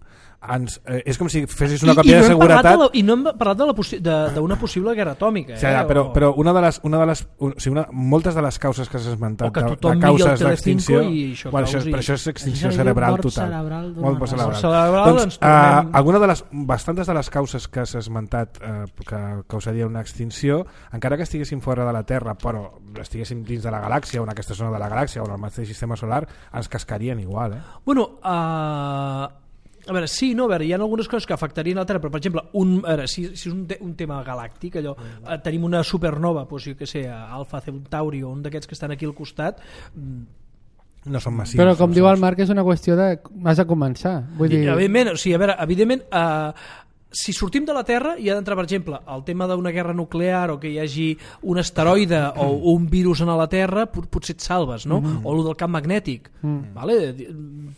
ens, eh, és com si fessis una I, còpia i no de seguretat de la, i no hem parlat d'una possi de, possible guerra atòmica, eh? sí, ja, però, o... però una de les, una de les un, o sigui, una, moltes de les causes que s'ha esmentat o que de, tothom de miri causes el Telecinco d'extinció i això bueno, això, causi... però això és extinció Això cerebral mort total cerebral molt mort cerebral, cerebral doncs, doncs, uh, tornem... alguna de les, bastantes de les causes que s'ha esmentat uh, que causaria una extinció encara que estiguéssim fora de la Terra però estiguéssim dins de la galàxia o en aquesta zona de la galàxia o en el mateix sistema solar ens cascarien igual, eh? Bueno, uh... a veure, sí, no, a veure, hi ha algunes coses que afectarien la Terra, però per exemple, un, a veure, si, si és un, te un tema galàctic, allò, eh, tenim una supernova, doncs, jo què sé, Alpha Centauri o un d'aquests que estan aquí al costat, no són massius. Però com no diu són... el Marc és una qüestió de... has de començar. Vull dir... Evidentment, o sigui, a veure, evidentment, eh, si sortim de la Terra hi ha d'entrar, per exemple, el tema d'una guerra nuclear o que hi hagi un asteroide o un virus a la Terra, pot, potser et salves, no? Mm -hmm. O el del camp magnètic. Mm. Vale?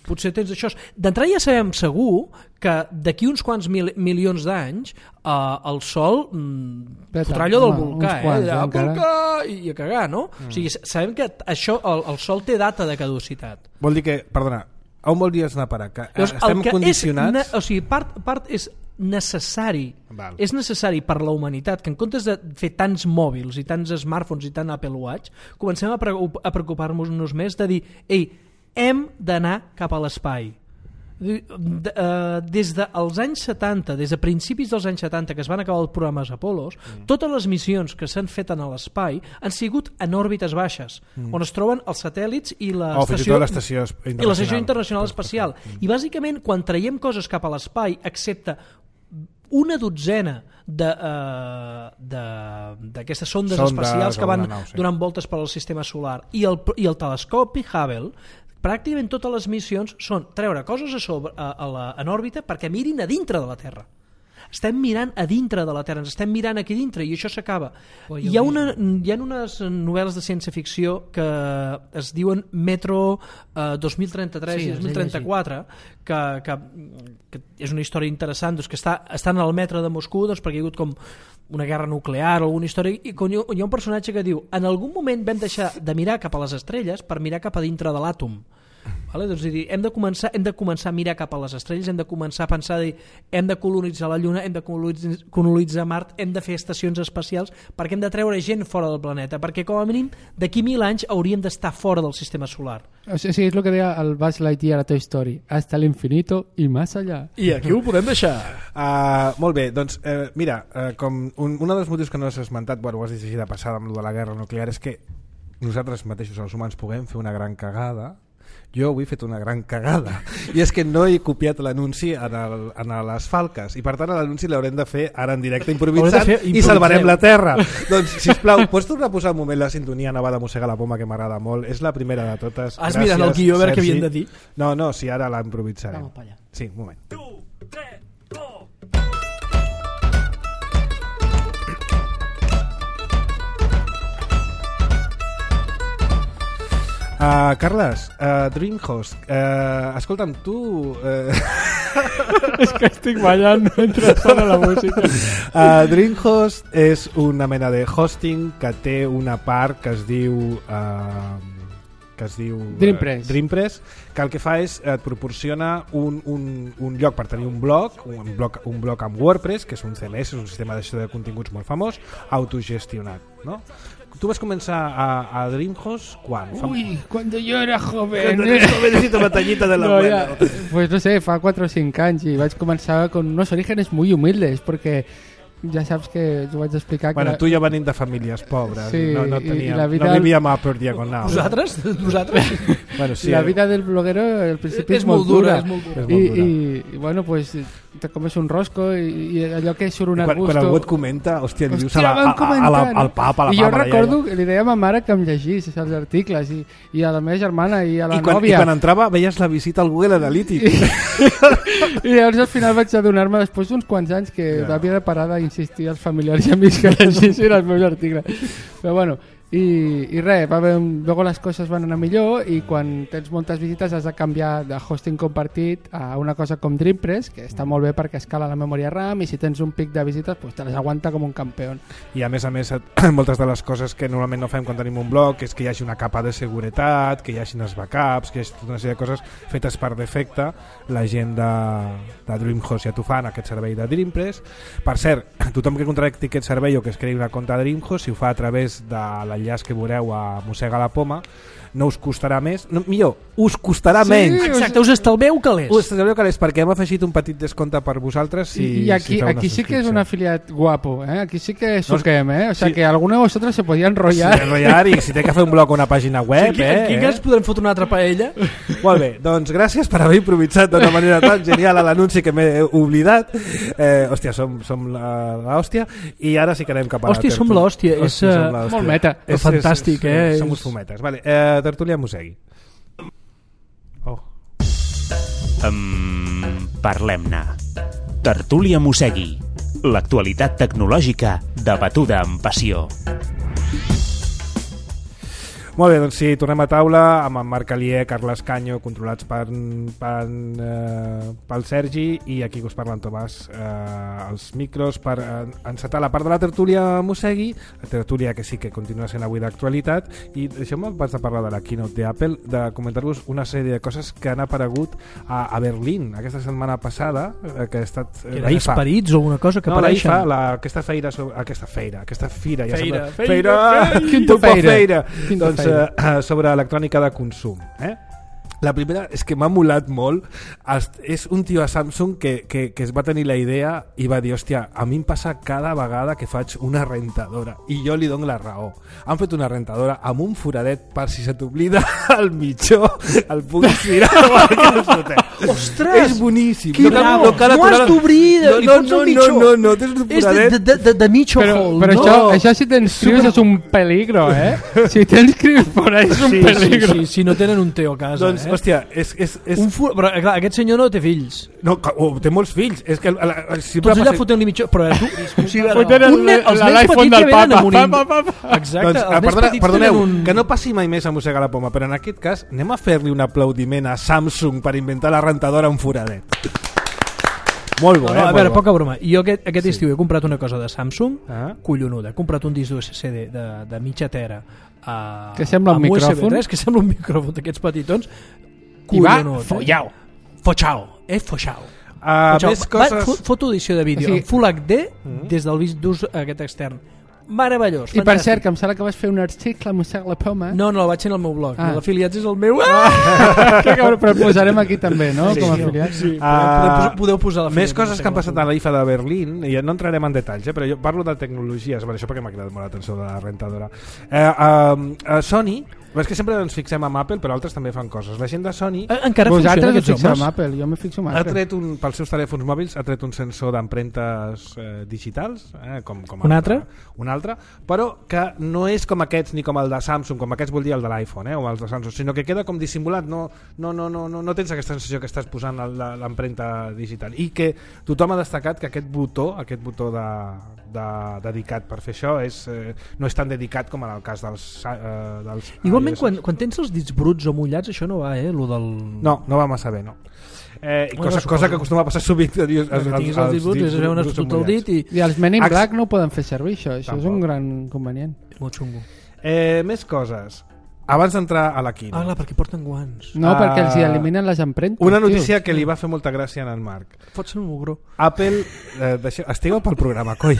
Potser tens això. D'entrada ja sabem segur que d'aquí uns quants mil, milions d'anys eh, el Sol mm, fotrà allò del volcà, quants, eh? eh, volcà i a cagar, no? Mm. O sigui, sabem que això, el, el Sol té data de caducitat. Vol dir que, perdona, a on voldries anar a parar? Que Llavors, estem que condicionats... És, o sigui, part, part és necessari Val. és necessari per la humanitat que en comptes de fer tants mòbils i tants smartphones i tant Apple Watch comencem a, preocup a preocupar-nos més de dir, ei, hem d'anar cap a l'espai. Des dels anys setanta, des de principis dels anys setanta que es van acabar els programes Apollos, mm. totes les missions que s'han fet en l'espai han sigut en òrbites baixes, mm. on es troben els satèl·lits i l'estació oh, internacional, internacional espacial. Mm. I bàsicament quan traiem coses cap a l'espai, excepte una dotzena d'aquestes uh, sondes, sondes espacials que van nau, sí. donant voltes per al sistema solar i el, i el telescopi Hubble, pràcticament totes les missions són treure coses a sobre, a, a la, en òrbita perquè mirin a dintre de la Terra. Estem mirant a dintre de la Terra, ens estem mirant aquí dintre i això s'acaba. Hi ha, una, hi ha unes novel·les de ciència-ficció que es diuen Metro eh, dos mil trenta-tres sí, i dos mil trenta-quatre que, que, que és una història interessant, doncs, que està, estan al metro de Moscou doncs, perquè hi ha hagut com una guerra nuclear o alguna història i hi ha un personatge que diu en algun moment vam deixar de mirar cap a les estrelles per mirar cap a dintre de l'àtom. Vale? Doncs, dir, hem, de començar, hem de començar a mirar cap a les estrelles, hem de començar a pensar dir, hem de colonitzar la Lluna, hem de colonitzar, colonitzar Mart, hem de fer estacions espacials perquè hem de treure gent fora del planeta, perquè com a mínim d'aquí mil anys hauríem d'estar fora del sistema solar. O sigui, és el que deia el Buzz Lightyear a Toy Story, hasta el infinito i más allá. I aquí ho podem deixar. Uh, molt bé, doncs eh, mira, uh, com un, un dels motius que no has esmentat, bueno, ho has dit així de passada amb de la guerra nuclear, és que nosaltres mateixos els humans puguem fer una gran cagada. Jo avui he fet una gran cagada i és que no he copiat l'anunci en, el, en les falques i per tant l'anunci l'haurem de fer ara en directe improvisant i salvarem la Terra. Doncs sisplau, pots tornar a posar un moment la sintonia nova de Mossega la Poma que m'agrada molt, és la primera de totes. Has Gràcies, mirat el guió a veure què havien de dir? No, no, si ara la improvisarem. Vamos para allá. Sí, un moment. Tu, tres, dos. Uh, Carles, uh, Dreamhost, uh, escolta'm, tu... Uh... És que estic ballant mentre sona la música. Uh, Dreamhost és una mena de hosting que té una part que es diu... Uh, que es diu Dreampress. Uh, Dreampress, que el que fa és et proporciona un, un, un lloc per tenir un blog, un blog, un blog amb WordPress, que és un C M S, és un sistema de gestió de continguts molt famós, autogestionat, no? Tu vas començar a, a Dreamhost quan? Uy, cuando yo era joven. Cuando eres jovencito batallita de la no, abuela. Ya, pues no sé, fa cuatro o cinco anys i vaig començar con unos orígenes muy humildes porque ja saps que t'ho vaig explicar. Bueno, que tu ja venim de famílies pobres, sí, no, no, teníem, la vida no vivíem a per diagonal. Vosaltres? Vosaltres? Bueno, sí, la vida del bloguero al principi és, és molt dura, dura, és molt dura. És molt I, dura. i, i bueno, pues te comes un rosco i, i allò que surt un quan, arbusto... quan algú et comenta, hòstia, li dius Hòstia, a la, a, a, a la, al pap, a la I jo papa, recordo ja, que li deia a ma mare que em llegís els articles i, i a la meva germana i a la I quan, nòvia. I quan entrava veies la visita al Google Analytics. I, i llavors al final vaig adonar-me després d'uns quants anys que Ja. havia de parar d'insistir als familiars i amics que llegissin els meus articles. Però bueno, I, i res, va haver, luego les coses van anar millor i quan tens moltes visites has de canviar de hosting compartit a una cosa com DreamPress, que està molt bé perquè escala la memòria RAM i si tens un pic de visites pues te les aguanta com un campió. I a més a més moltes de les coses que normalment no fem quan tenim un blog és que hi hagi una capa de seguretat, que hi hagi els backups, que hi hagi tota una sèrie de coses fetes per defecte. La gent de, de DreamHost ja t'ho fan, aquest servei de DreamPress. Per cert, tothom que contracti aquest servei o que es creï una compte de DreamHost, si ho fa a través de l'enllaç que veureu a Mossega la Poma, no us costarà més, no, millor, us costarà Sí, menys. Exacte, us estalveu calés. Us estalveu calés perquè hem afegit un petit descompte per vosaltres si, I aquí, si feu una aquí sí que és un subscripció. afiliat guapo, ¿eh? Aquí sí que No, suquem, ¿eh? O sea sí. que alguno de vosotros se podía enrollar. Sí, enrotllar i si té que fer un blog o una pàgina web, Aquí, eh, aquí eh? que ens podrem fotre una altra paella. Molt bé, doncs gràcies per haver improvisat d'una manera tan genial a l'anunci que m'he oblidat. Eh, hòstia, som, som la- l'hòstia i ara sí que anem cap a Hòstia, la som tertúlia. l'hòstia, és, Hòstia, som eh, l'hòstia. molt meta. És, Fantàstic, és, és, eh? Som uns És- fumetes. Vale, eh, tertúlia Mosegui. Oh. Um, parlem-ne. Tertúlia Mosegui. L'actualitat tecnològica debatuda amb passió. Molt bé, doncs sí, tornem a taula amb en Marc Alier, Carles Canyo, controlats per, per, eh, pel Sergi, i aquí que us parla en Tomàs, eh, els micros per eh, encetar la part de la tertúlia Mosegui, la tertúlia que sí que continua sent avui d'actualitat, i deixeu-me abans de parlar de la keynote d'Apple, de comentar-vos una sèrie de coses que han aparegut a, a Berlín aquesta setmana passada, eh, que ha estat eh, Que la eren I F A. esperits o alguna cosa que No, la I F A, apareixen. la, aquesta feira, sobre, aquesta feira, aquesta fira, ja Feira, sembla, feira, feira, Quinta Turbo feira. feira. Quinta Doncs feira. eh, sobre electrònica de consum, eh? La primera és que m'ha molat molt. És un tio a Samsung que, que, que es va tenir la idea i va dir, hòstia, a mi em passa cada vegada que faig una rentadora, i jo li dono la raó. Han fet una rentadora amb un foradet per si se t'oblida el mitjó, el puguis tirar o el que no fotem. Ostres! És boníssim. Que bravo! No has d'obrir, no, li no, fots no, el mitjó. no, no, no, tens un És de, foradet. de, de, de mitjo Però, hole, però no? això, això si t'inscrius és un peligro, eh? Si t'inscrius por ahí és un Sí, sí, peligro. Sí, si no tenen un teu a casa, Doncs, eh? hòstia, és... és, és Un fu... Però, clar, aquest senyor no té fills. no, que- oh, té molts fills. És que... La, la, sempre Tots allà passa- fotent-li mitjó... Però eh, tu... O sigui, Fotent el- un nen, els la- nens l'iPhone petits del ja venen papa. amb un... Pa, pa, pa. Exacte, Doncs, els ah, nens perdona, petits perdoneu, tenen un... que no passi mai més a mossegar la poma, però en aquest cas anem a fer-li un aplaudiment a Samsung per inventar la rentadora amb foradet. Molt bo, No, eh? no, a molt veure, bo. poca broma. Jo aquest, aquest estiu he comprat una cosa de Samsung, Ah. collonuda. He comprat un disc d'U S C de, de, de mitja tera. A, Que sembla un amb U S B micròfon. tres, que sembla un micròfon d'aquests petitons. I va Collonut, eh? follau. Fochao, eh? Fochao. Uh, Fochao. més Va, coses... fo- foto edició de vídeo Sí. en Full H D Mm. des del vist d'ús aquest extern. Meravellós, I per fantàstic. cert, que em sembla que vas fer un article a Mossega la Poma. No, no, el vaig fer en el meu blog. Ah. L'afiliats és el meu... Ah! Que cabró, però el posarem aquí també, no? Sí, Com a sí. afiliat. Sí, Ah, podeu, podeu posar la Més coses que han passat a la I F A de Berlín, i no entrarem en detalls, eh, però jo parlo de tecnologies, per això perquè m'ha cridat molt l'atenció de la rentadora. Eh, uh, uh, Sony, és que sempre ens fixem amb Apple, però altres també fan coses. La gent de Sony Eh, Encara Vosaltres funciona us aquests fixeu homes? amb Apple, jo me fixo amb ha Apple. tret un, pels seus telèfons mòbils ha tret un sensor d'empremtes eh, digitals, eh, com, com Un altre? un altre, però que no és com aquests ni com el de Samsung, com aquests vol dir el de l'iPhone, eh, o els de Samsung, sinó que queda com dissimulat, no, no, no, no, no, no tens aquesta sensació que estàs posant el- la- l'empremta digital, i que tothom ha destacat que aquest botó, aquest botó de, de, dedicat per fer això és, eh, no és tan dedicat com en el cas dels, eh, dels Igualment, iOS. quan, quan tens els dits bruts o mullats, això no va, eh? Lo del... No, no va massa bé, no. Eh, Bueno, cosa, suposo. cosa que acostuma a passar sovint. Que Que tinguis els dits bruts, és allò on has fotut el dit i... I els Men in Ax- Black no ho poden fer servir, això. Això és Tampoc. un gran inconvenient. Molt xungo. Eh, més coses. Abans d'entrar a la quina. Ah, clar, perquè porten guants. No, Ah. perquè els hi eliminen les empremtes. Una tio. notícia que li va fer molta gràcia en el Marc. Pot ser un mugró. Apple, eh, deixeu, estigueu pel programa, coi.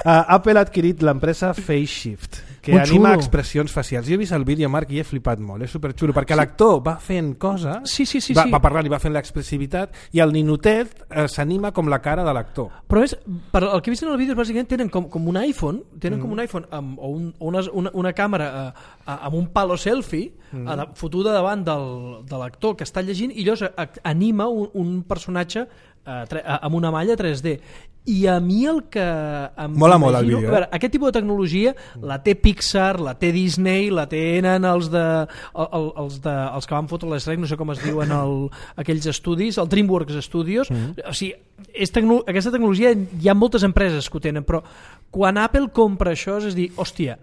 Uh, Apple ha adquirit l'empresa FaceShift, que Molt anima xulo. expressions facials. Jo he vist el vídeo, Marc, i he flipat molt. És superxulo, perquè l'actor va fent coses, Sí, sí, sí. va, sí. va parlant i va fent l'expressivitat, i el ninotet eh, s'anima com la cara de l'actor. Però és, per el que he vist en el vídeo, bàsicament tenen com, com un iPhone, tenen Mm. com un iPhone amb, o un, o una, una, una càmera eh, amb un palo selfie Mm. eh, fotuda davant del, de l'actor que està llegint i llavors a- anima un, un personatge eh, tre, eh, amb una malla tres D. I a mi el que em Mola molt el imagino- vídeo, a veure, aquest tipus de tecnologia la té Pixar, la té Disney, la tenen els de el, el, els, de, els que van fotre l'Shrek, no sé com es diuen el, aquells estudis, el DreamWorks Studios. Mm. O sigui, és tecno, aquesta tecnologia hi ha moltes empreses que ho tenen, però quan Apple compra això és dir, hòstia,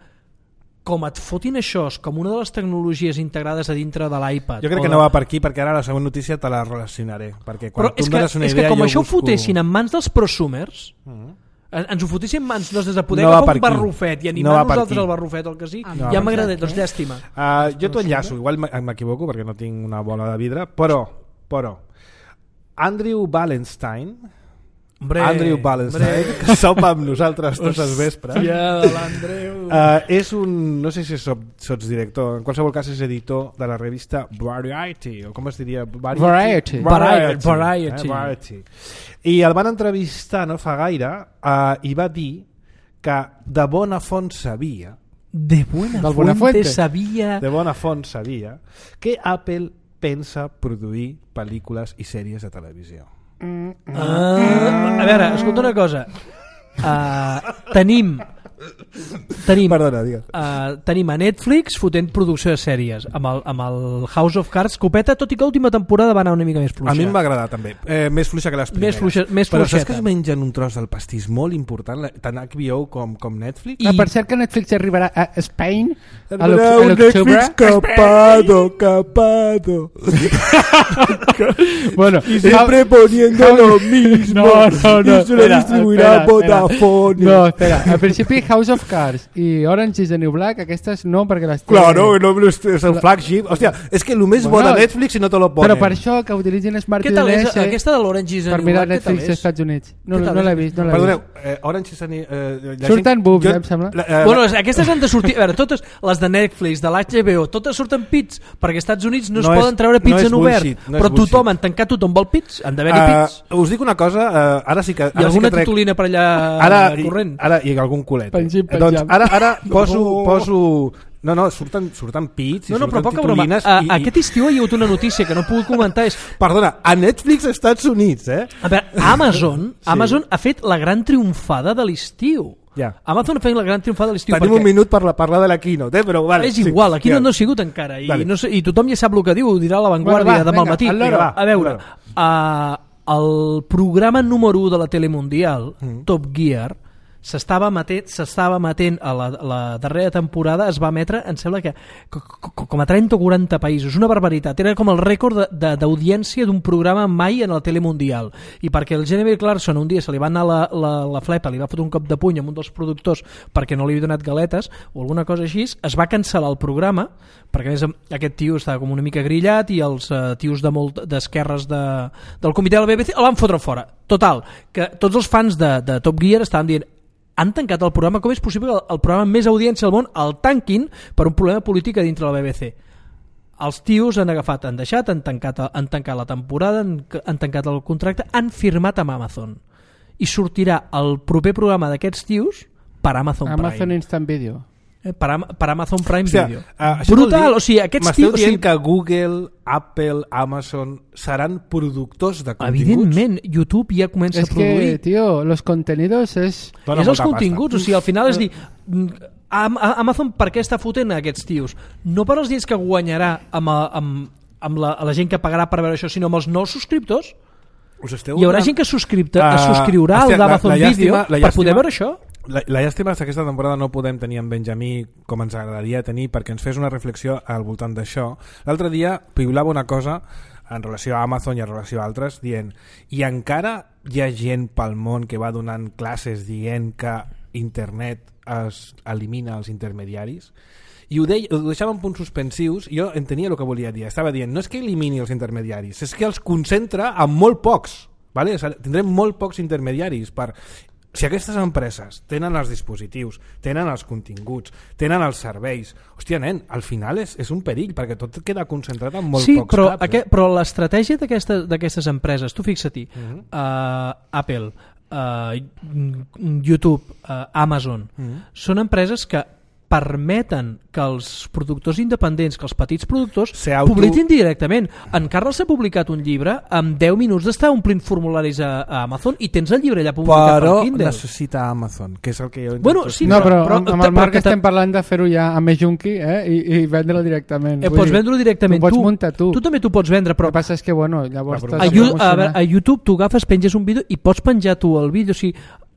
com et fotin això com una de les tecnologies integrades a dintre de l'iPad... Jo crec que de... no va per aquí, perquè ara la següent notícia te la relacionaré. Perquè quan Però tu és em que, dones una és idea... que com jo això busco... ho fotessin en mans dels prosumers, Uh-huh. ens ho fotessin en mans nostres de poder No va agafar per un aquí. barrufet i No animar va per nosaltres aquí. al barrufet o el que sí, Ah, ja no, m'agrada, exacte. doncs llàstima. Uh, jo t'ho enllaço, igual m'equivoco perquè no tinc una bola de vidre, però, però Andrew Wallenstein, Hombre, Andrew Wallenstein, hombre. que sopa amb nosaltres tots els vespres, Hòstia, de l'Andreu. uh, és un, no sé si sots, sots director, en qualsevol cas és editor de la revista Variety, o com es diria? Variety. Variety. Variety. Eh? Variety. I el van entrevistar no fa gaire uh, i va dir que de bona font sabia De buena Del fuente, Buenafuente. sabia... de bona font sabia que Apple pensa produir pel·lícules i sèries de televisió. Ah, a veure, escolta una cosa. Uh, tenim... Tenim, Perdona, digues. uh, tenim a Netflix fotent producció de sèries amb el, amb el House of Cards, copeta, tot i que l'última temporada va anar una mica més fluixa. A mi em va agradar també, eh, més fluixa que les primeres. Més fluixa- més Però saps fluixeta. que es mengen un tros del pastís molt important, la- tant H B O com, com Netflix? I- Ah, per cert que Netflix arribarà a Spain a Habrá l'oc- a un l'octubre. Netflix capado, capado. Bueno, Y siempre poniendo House- lo mismo. No, no, no. Y se lo espera, distribuirá espera, espera. Vodafone. No, espera. Al principi House of Cards i Orange is the New Black, aquestes no, perquè les té... Claro, no, no, es el flagship. Hòstia, és que el més bo Bueno, de Netflix i no te lo ponen. Però per això que utilitzin Smart Què tal és? D N S Aquesta de l'Orange is the per New mirar Black, què tal Netflix als és? Estats Units. No, Què tal no és? l'he vist, no l'he Perdoneu, vist. eh, Orange is the New... Eh, la Surten gent- boobs, jo- eh, em sembla. La, eh, Bueno, les- aquestes han de sortir... A veure, totes les de Netflix, de l'H B O, totes surten pits, perquè als Estats Units no es No és- poden treure pits no és en obert. bullshit, no és però tothom, bullshit. en tancat tothom vol pits, han d'haver-hi eh, pits. us dic una cosa, eh, ara sí que... I Ara sí alguna que trec, titulina per allà ara, i, corrent. ara i algun culet. Penjim, penjam. Doncs ara, ara poso, No. poso... No, no, surten, surten pits i No, no, però surten poca broma. titulines A, i, i, aquest estiu hi ha hagut una notícia que no puc comentar. És, Perdona, a Netflix Estats Units, eh? a veure, Amazon, Sí. Amazon ha fet la gran triomfada de l'estiu. Ja. Amazon ha fet la gran triomfada de l'estiu. Tenim perquè un minut per la, parlar de la keynote, eh? Però vale, és igual, aquí ja. no, no ha sigut encara. I, Vale. no sé, I tothom ja sap el que diu, ho dirà a l'avantguàrdia Bueno, va, demà al vinga, matí. al loro. Vinga, va, a veure, al uh, el programa número u de la tele mundial, Mm. Top Gear, s'estava emetent, s'estava emetent a la, la darrera temporada, es va emetre, em sembla que co- co- com a trenta o quaranta països, una barbaritat, era com el rècord de- de- d'audiència d'un programa mai en la tele mundial, i perquè el Jeremy Clarkson un dia se li va anar la, la, la flepa, li va fotre un cop de puny amb un dels productors perquè no li havia donat galetes o alguna cosa així, es va cancel·lar el programa, perquè a més aquest tio estava com una mica grillat i els uh, tios de molt d'esquerres de, del comitè de la B B C el van fotre fora. Total, que tots els fans de, de Top Gear estaven dient han tancat el programa, com és possible que el, el programa amb més audiència al món el tanquin per un problema polític a dintre de la B B C? Els tios han agafat, han deixat, han tancat, han tancat la temporada, han, han tancat el contracte, han firmat amb Amazon i sortirà el proper programa d'aquests tios per Amazon, Amazon Prime. Instant Video. Eh, per, Am per Amazon Prime Hòstia, Video. uh, això vol Brutal, dir- o sigui, aquests m'esteu tios... O dient sigui, que Google, Apple, Amazon seran productors de continguts? evidentment, YouTube ja comença Es a produir. que, tío, los contenidos es... Dona és els molta continguts, o sigui, al final és dir mm, Am- a- Amazon per què està fotent a aquests tios? No per als diners que guanyarà amb, a- amb, amb la, a la gent que pagarà per veure això, sinó amb els nous subscriptors. Us esteu Hi haurà donant- gent que subscripta, Ah, uh, subscriurà hòstia, al d'Amazon la- la Video llàstima- la per poder llàstima- veure això. La, la llàstima és que aquesta temporada no podem tenir en Benjamí com ens agradaria tenir perquè ens fes una reflexió al voltant d'això. L'altre dia piulava una cosa en relació a Amazon i en relació a altres dient, i encara hi ha gent pel món que va donant classes dient que internet es elimina els intermediaris, i ho, deia, ho deixava en punts suspensius i jo entenia el que volia dir, estava dient no és que elimini els intermediaris, és que els concentra en molt pocs, vale? O sigui, tindrem molt pocs intermediaris per... Si aquestes empreses tenen els dispositius, tenen els continguts, tenen els serveis, hòstia, nen, al final és, és un perill, perquè tot queda concentrat en molt sí, pocs però, caps. aquest, però l'estratègia d'aquestes d'aquestes empreses, tu fixa-t'hi, Uh -huh. uh, Apple, uh, YouTube, uh, Amazon, Uh -huh. són empreses que permeten que els productors independents, que els petits productors Se auto- publiquin directament. En Carles ha publicat un llibre amb deu minuts d'estar omplint formularis a, a Amazon i tens el llibre allà publicat Però per Kindle. necessita Amazon, que és el que jo intento... Bueno, sí, No, però, però- amb, amb però- el Marc però- estem parlant de fer-ho ja amb Junkie eh? I, i vendre-lo directament. Eh, Vull pots dir, vendre-ho directament tu. tu. Pots muntar tu. Tu també t'ho pots vendre, però El que passa és que, bueno, llavors... La t'has a, de Yu- a, promocionar. veure, a YouTube tu agafes, penges un vídeo i pots penjar tu el vídeo. O sigui,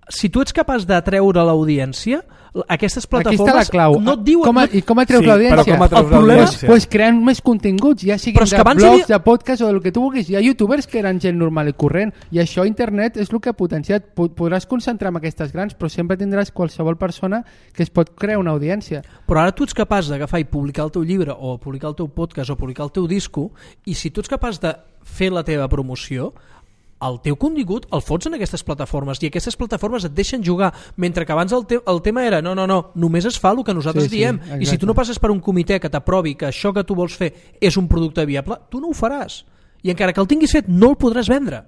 si tu ets capaç d'atreure l'audiència, aquestes plataformes Aquí està la clau. no et diuen... Com a, I com atreus Sí, l'audiència? però com atreus El problema és l'audiència? pues, creant més continguts, ja siguin Però és de que abans blogs, havia- de podcast o del que tu vulguis. Hi ha youtubers que eren gent normal i corrent, i això internet és el que ha potenciat. Pod- Podràs concentrar en aquestes grans, però sempre tindràs qualsevol persona que es pot crear una audiència. Però ara tu ets capaç d'agafar i publicar el teu llibre o publicar el teu podcast o publicar el teu disco, i si tu ets capaç de fer la teva promoció, el teu contingut el fots en aquestes plataformes i aquestes plataformes et deixen jugar, mentre que abans el, te el tema era no, no, no, només es fa el que nosaltres Sí, sí, diem, exacte. i si tu no passes per un comitè que t'aprovi que això que tu vols fer és un producte viable, tu no ho faràs, i encara que el tinguis fet no el podràs vendre,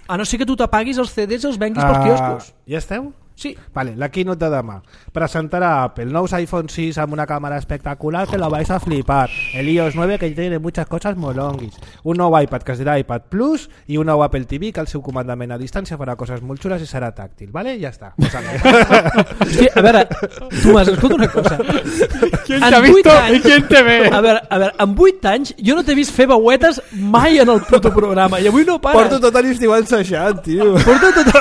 a no ser que tu t'apaguis els C Ds i els venguis pels quioscos. Ja esteu? Sí. Vale, la keynote de demà. Presentará Apple nous iPhone seis amb una cámara espectacular que lo vais a flipar. El i O S nueve que tiene muchas cosas molonguis. Un nou iPad que es dirà iPad Plus i un nou Apple T V que el seu comandament a distància farà coses molt xules i serà tàctil. Vale? Ja està. Hòstia, a veure, Tomàs, escolta una cosa. Qui En t'ha vuit visto anys- i qui te ve? A veure, a veure, en vuit anys jo no t'he vist fer veuetes mai en el puto programa i avui no pares. Porto tot l'estiu ensajant, tio. Porto tot...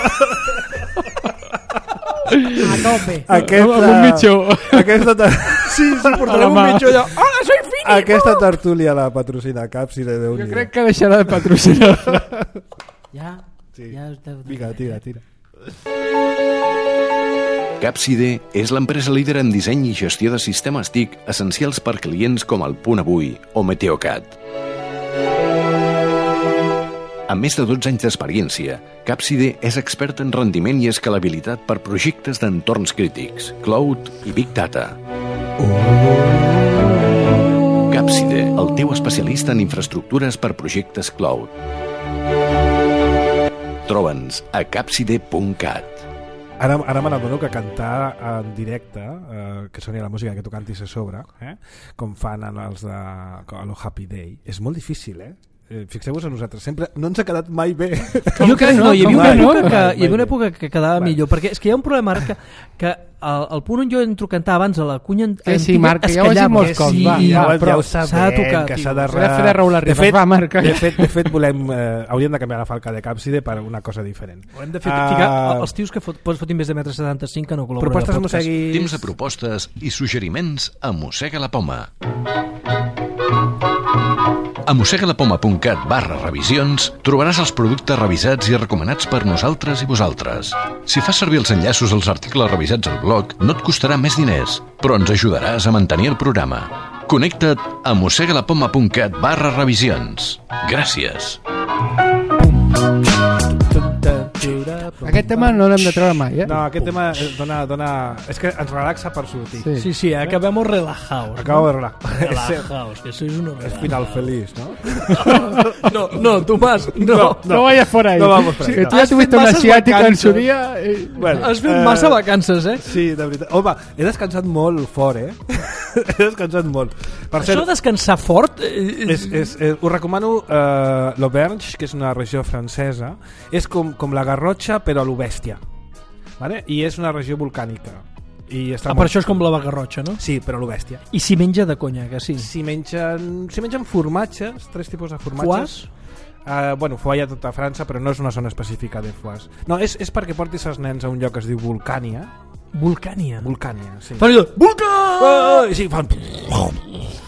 A tope. Aquesta... Amb un mitjó. Aquesta... ta- Sí, sí, A portarem la un mà. mitjó allò. Hola, soy Fini! Aquesta tertúlia la patrocina Capside de Jo Unió. crec que deixarà de patrocinar. Ja, Sí. ja us deu... Vinga, tira, tira. Capside és l'empresa líder en disseny i gestió de sistemes T I C essencials per clients com el Punt Avui o Meteocat. Amb més de dotze anys d'experiència, Capside és expert en rendiment i escalabilitat per projectes d'entorns crítics, cloud i big data. Capside, el teu especialista en infraestructures per projectes cloud. Troba'ns a capside punt cat. Ara, ara me n'adono que cantar en directe, eh, que soni la música que tu cantis a sobre, eh, com fan en els de Lo Happy Day, és molt difícil, eh? Eh, Fixeu-vos a nosaltres, sempre no ens ha quedat mai bé. Jo crec que no, hi havia Com una mai? època que, Mai, hi havia una mai època que quedava Vale. millor, perquè és que hi ha un problema ara que, que el, el punt on jo entro a cantar abans a la cunya Que sí, antiga Marc, que es ja ho has dit callava. molts cops, Sí, va, ja, va, ja però ho s'ha de sabem, tocar, que tio. s'ha de... S'ha de fer de Raül Arribas. De fet, Va, Marc. de fet, de fet volem, eh, hauríem de canviar la falca de Capside per una cosa diferent. Ho hem de fer, Ah, ficar els tios que fot, pots fotin més de metre setanta-cinc que no col·laboren propostes al podcast. mosseguis... Temps de propostes i suggeriments a Mossega la Poma. A mossegalapoma.cat barra revisions trobaràs els productes revisats i recomanats per nosaltres i vosaltres. Si fas servir els enllaços als articles revisats al blog, no et costarà més diners, però ens ajudaràs a mantenir el programa. Connecta't a mossegalapoma.cat barra revisions. Gràcies. Aquest tema no l'hem de treure mai, eh? No, aquest tema eh, dona, dona... És que ens relaxa per sortir. Sí. Sí, sí, acabemos relajados. Acabo de relaxar. Relajaos, que sois unos És relajados. final feliç, no? No, no, Tomàs, no. No. No vayas por ahí. No vamos por ahí, Que no. tú ya Has tuviste fet una masses asiática en vacances. su día. eh. Bueno, Has fet eh, massa vacances, eh? Sí, de veritat. Home, he descansat molt fort, eh? He descansat molt. Per Això de descansar fort... Eh, És, és, eh, us recomano eh, l'Auvergne, que és una regió francesa. És com, com la Garrotxa, però a lo bèstia. Vale? I és una regió volcànica. I està ah, molt per això és com xula. la Bagarrotxa, no? Sí, però a lo bèstia. I si menja de conya, que sí. Si mengen, si mengen formatges, tres tipus de formatges. Foix? Uh, bueno, foie hi ha tota França, però no és una zona específica de foix. No, és, és perquè portis els nens a un lloc que es diu Vulcània. Vulcània. Vulcània, sí. Fan allò, Vulcà! Oh, i sí, fan...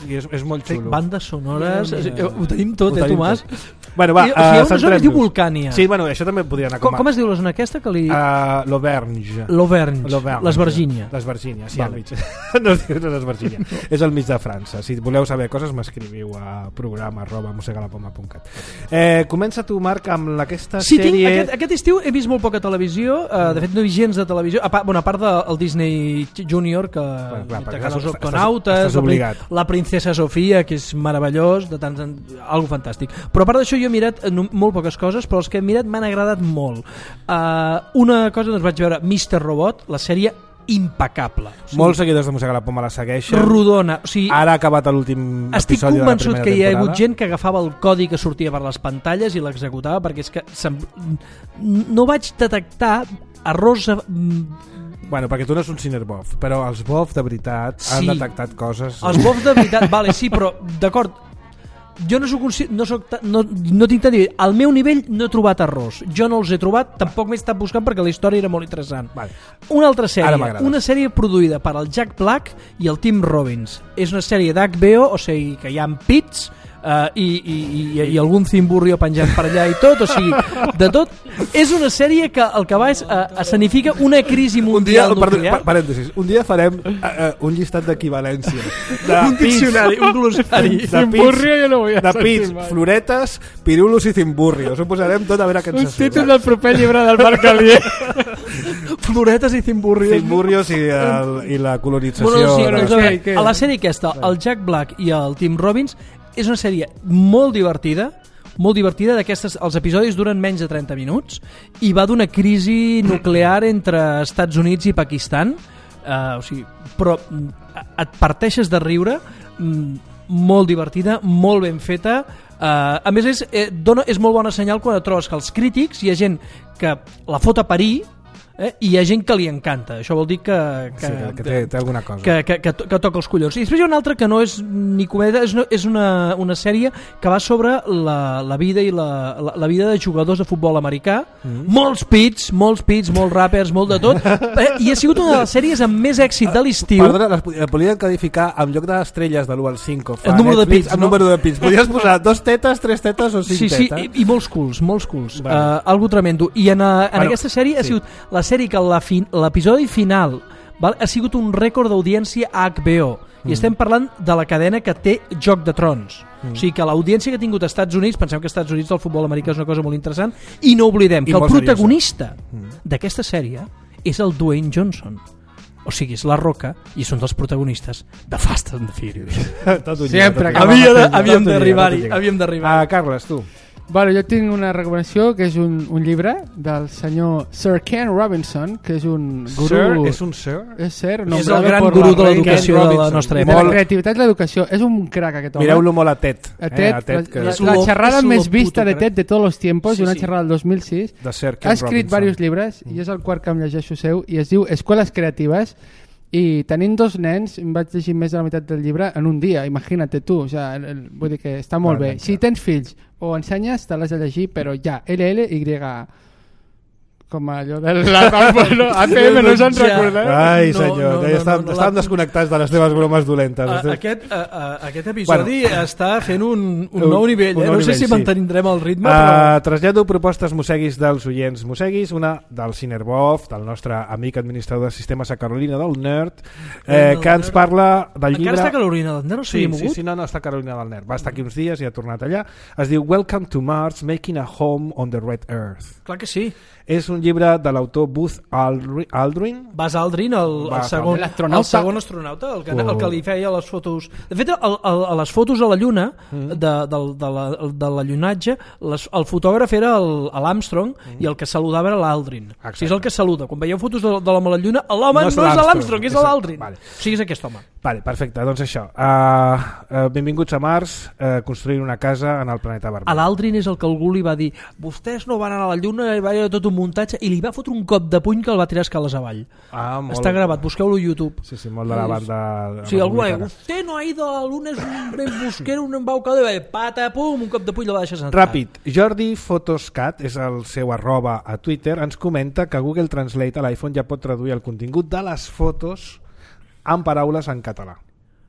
I és, és molt xulo. Bandes sonores, Ja, ja, ja. ho tenim tot, Ho eh, tenim Tomàs? tot. Bueno, va, I, o sigui, hi ha una zona que es diu centrem-nos. Vulcània. Sí, bueno, això també podria anar Com, com a... com es diu la zona aquesta? Que li... Uh, L'Auvergne. L'Auvergne. L'Auvergne. L'Esvergínia. L'Esvergínia, sí, Vale. al mig. No es diu no és l'Esvergínia, és al mig de França. Si voleu saber coses, m'escriviu a programa arroba mossegalapoma punt cat. Eh, comença tu, Marc, amb aquesta Sí, tinc, sèrie... aquest, aquest estiu he vist molt poca televisió, uh, de fet no he vist gens de televisió, a part, bueno, a part del Disney Junior, que Bueno, clar, perquè que els estàs- octonautes, estàs la prin- obligat. la princesa Sofia, que és meravellós, de tant en... algo fantàstic. Però a part d'això jo he mirat eh, no- molt poques coses, però els que he mirat m'han agradat molt. Uh, una cosa, doncs vaig veure mister Robot, la sèrie impecable. O sigui, Molts seguidors de Mossega la Poma la segueixen. rodona. O sigui, Ara ha acabat l'últim estic episodi de la convençut primera que hi ha hagut temporada. gent que agafava el codi que sortia per les pantalles i l'executava, perquè és que sem... no vaig detectar errors eh, Bueno, perquè tu no ets un cinerbov, però els bov de veritat Sí. han detectat coses... els bofs de veritat, vale, sí, però d'acord, jo no, soc, no, soc, no, no tinc tant nivell. Al meu nivell no he trobat errors. Jo no els he trobat, tampoc m'he estat buscant perquè la història era molt interessant. Vale. Una altra sèrie, una sèrie produïda per el Jack Black i el Tim Robbins. És una sèrie d'H B O, o sigui que hi ha pits, Uh, i, i, i, i algun cimburrio penjat per allà i tot, o sigui, de tot. És una sèrie que el que va és uh, escenifica una crisi mundial un dia, nuclear. Perdó, parèntesis, un dia farem uh, uh, un llistat d'equivalència de un diccionari, un glossari de cimburrio jo no vull de pits, floretes, pirulos i cimburrios. Ho posarem tot a veure què ens un títol del proper llibre del Marc Alier. Floretes i cimburrios. Cimburrios i, el, i la colonització. Bueno, sí, de... doncs, a, veure, a la sèrie aquesta, el Jack Black i el Tim Robbins, és una sèrie molt divertida, molt divertida, d'aquestes, els episodis duren menys de trenta minuts i va d'una crisi nuclear entre Estats Units i Pakistan, uh, o sigui, però et parteixes de riure, molt divertida, molt ben feta. Uh, a més és, eh, dona, és molt bona senyal quan et trobes que els crítics hi ha gent que la fot a parir, Eh? i hi ha gent que li encanta, això vol dir que, que, sí, que, té, té alguna cosa que, que, que, que toca els collons. I després hi ha una altra que no és ni comèdia, és una, és una, una sèrie que va sobre la, la vida i la, la, la vida de jugadors de futbol americà, mm. molts pits, molts pits, molts rappers, molt de tot, eh? i ha sigut una de les sèries amb més èxit de l'estiu. Perdona, les podrien codificar en lloc d'estrelles de l'u al cinc, el número de pits, el no? número de pits. Podries posar dos tetes, tres tetes o cinc sí, tetes. Sí, i, i molts culs, molts culs. Bueno. Uh, algo tremendo. I en, uh, en bueno, aquesta sèrie sí. ha sigut la sèrie que l'episodi final val, ha sigut un rècord d'audiència a H B O. I mm. estem parlant de la cadena que té Joc de Trons. Mm. O sigui que l'audiència que ha tingut als Estats Units, pensem que als Estats Units el futbol americà és una cosa molt interessant, i no oblidem I que el protagonista mm. d'aquesta sèrie és el Dwayne Johnson. O sigui, és La Roca i és un dels protagonistes de Fast and the Furious. Sempre que havíem d'arribar-hi. Havíem d'arribar. Ah, Carles, tu. Bueno, jo tinc una recomanació que és un, un llibre del senyor Sir Ken Robinson, que és un guru... Sir? És un sir? És sir, és el gran guru de l'educació de la nostra època. De la creativitat i l'educació. És un crac aquest home. Mireu-lo molt a TED. A TED, eh, a TED que... la, la, la xerrada més vista de TED de tots els tiempos, sí, una sí. xerrada del dos mil sis. De Sir Ken ha escrit Robinson. diversos llibres, mm. i és el quart que em llegeixo seu, i es diu Escoles Creatives. I tenint dos nens em vaig llegir més de la meitat del llibre en un dia, imagina't tu, o sea, el, el, vull dir que està molt bé. Si tens fills o ensenyes te l'has de llegir, però ja, L L Y, com allò de la bueno, A T M no se'n recorda. Ai no, senyor, no, no, ja estàvem, no, no, estàvem la... desconnectats de les teves bromes dolentes. A, aquest, a, a, aquest episodi bueno, està fent un, un, un nou nivell, un eh? nou no nivell, sé si sí. mantindrem el ritme, uh, però... Trasllado propostes musseguis dels oients musseguis, una del Cinerbov, del nostre amic administrador de sistemes a Carolina del Nerd, eh, que ens parla del llibre... Encara està Carolina del Nerd, no sí, sí, sí, sí, no, no, està Carolina del Nerd. Va estar aquí uns dies i ha tornat allà. Es diu Welcome to Mars, Making a Home on the Red Earth. Clar que sí. És un llibre de l'autor Buzz Aldrin. Buzz Aldrin, el, el, segon, el segon astronauta, el que, el que li feia les fotos... De fet, el, el, a les fotos a la Lluna, mm. de, de, de, la, de la llunatge, les, el fotògraf era l'Armstrong mm. i el que saludava era l'Aldrin. O sigui, és el que saluda. Quan veieu fotos de, de l'home a la Lluna, l'home no, no és l'Armstrong, és l'Aldrin. Vale. O sigui, és aquest home. Vale, perfecte, doncs això. Uh, uh, benvinguts a Mars, uh, construint una casa en el planeta vermell. A l'Aldrin és el que algú li va dir vostès no van anar a la Lluna, i va haver tot un muntatge, i li va fotre un cop de puny que el va tirar escales avall. Ah, molt... Està gravat, busqueu-lo a YouTube. Sí, sí, molt de la banda... O sigui, algú va dir, usted no ha ido a la Luna, és un embosquero, un embaucador, i va dir, pata, pum, un cop de puny la va deixar sentat. Ràpid, Jordi Photoscat, és el seu arroba a Twitter, ens comenta que Google Translate a l'iPhone ja pot traduir el contingut de les fotos en paraules en català.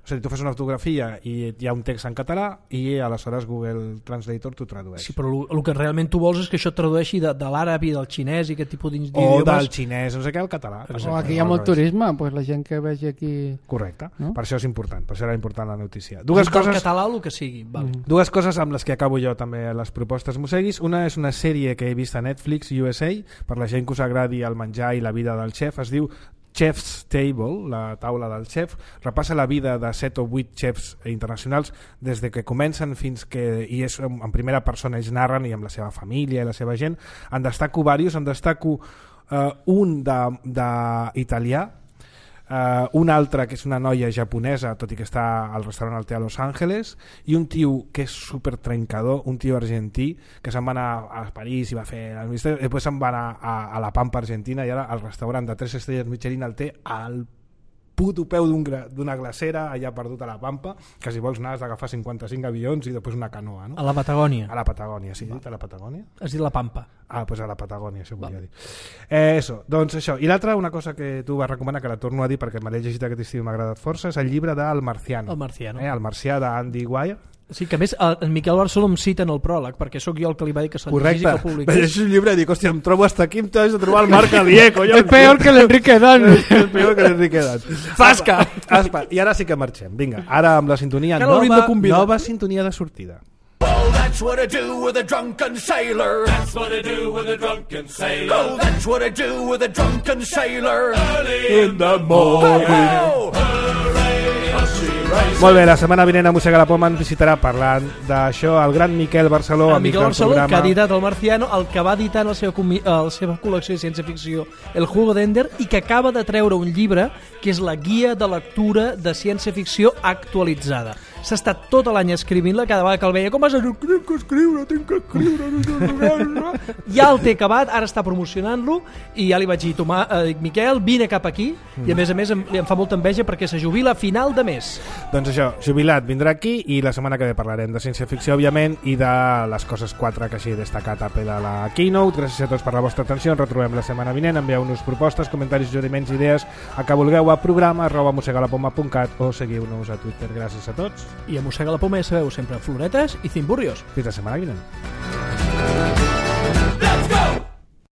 O sigui, tu fas una fotografia i hi ha un text en català i aleshores Google Translator t'ho tradueix. Sí, però el que realment tu vols és que això et tradueixi de, de l'àrab i del xinès i aquest tipus O d'idiomes. del xinès, no sé què, al català. O aquí hi ha molt turisme, pues la gent que vegi aquí... Correcte, no? Per això és important, per això era important la notícia. Dues del coses... català o el que sigui. Vale. Mm. Dues coses amb les que acabo jo també les propostes musseguis. Una és una sèrie que he vist a Netflix U S A, per la gent que us agradi el menjar i la vida del xef, es diu Chef's Table, la taula del xef, repassa la vida de set o vuit xefs internacionals des de que comencen fins que, i és en primera persona, ells narren, i amb la seva família i la seva gent. En destaco diversos, en destaco uh, un d'italià, Uh, un altre que és una noia japonesa, tot i que està al restaurant al té a Los Angeles, i un tio que és super trencador, un tio argentí que se'n va anar a París i va fer el misteri, després se'n va anar a, a la Pampa Argentina i ara al restaurant de tres estrelles Michelin al té al puto peu d'una d'un glacera allà perdut a la Pampa, que si vols anar has d'agafar cinquanta-cinc avions i després una canoa, no? A la Patagònia. A la Patagònia, sí, dit a la Patagònia? Has dit la Pampa. Ah, pues a la Patagònia, això volia dir. Eh, eso, doncs això. I l'altra, una cosa que tu vas recomanar, que la torno a dir perquè me l'he llegit aquest estiu i m'ha agradat força, és el llibre d'El Marciano. El Marciano. Eh, el Marcià d'Andy Weir. Sí, que a més en Miquel Barceló em cita en el pròleg, perquè sóc jo el que li va dir que se'l llegís i que el Correcte. publiqués. És un llibre i dic, hòstia, em trobo hasta aquí, em t'has de trobar el Marc Alié, collons. És peor que l'Enrique Dan. És peor que l'Enrique Dan. Zasca! Aspa, i ara sí que marxem. Vinga, ara amb la sintonia Encara l'hauríem de nova, convidar. nova sintonia de sortida. Oh, that's what I do with a drunken sailor. That's what I do with a drunken sailor. Oh, that's what I do with a drunken sailor. Early in the morning. Oh, Molt bé, la setmana vinent a Mossega la Poma ens visitarà parlant d'això el gran Miquel Barceló, El amic Miquel del Barceló, programa. que ha editat el Marciano, el que va editar en la seva, comi- a la seva col·lecció de ciència-ficció El Juego d'Ender, i que acaba de treure un llibre que és la guia de lectura de ciència-ficció actualitzada. S'ha estat tot l'any escrivint-la, cada vegada que el veia, com vas a dir, tinc que escriure, tinc que escriure... Ja el té acabat, ara està promocionant-lo, i ja li vaig dir, Tomà, eh, dic, Miquel, vine cap aquí, i a més a més em, em fa molta enveja perquè se jubila a final de mes. Doncs això, jubilat vindrà aquí i la setmana que ve parlarem de ciència-ficció, òbviament, i de les coses quatre que així he destacat a pe de la Keynote. Gràcies a tots per la vostra atenció, ens retrobem la setmana vinent, envieu-nos propostes, comentaris, suggeriments, idees, a que vulgueu a programa arroba mossegalapoma punt cat o seguiu-nos a Twitter. Gràcies a tots. I a Mossega la Poma ja sabeu, sempre floretes i cimburrios. Fins la setmana vinent. Let's go!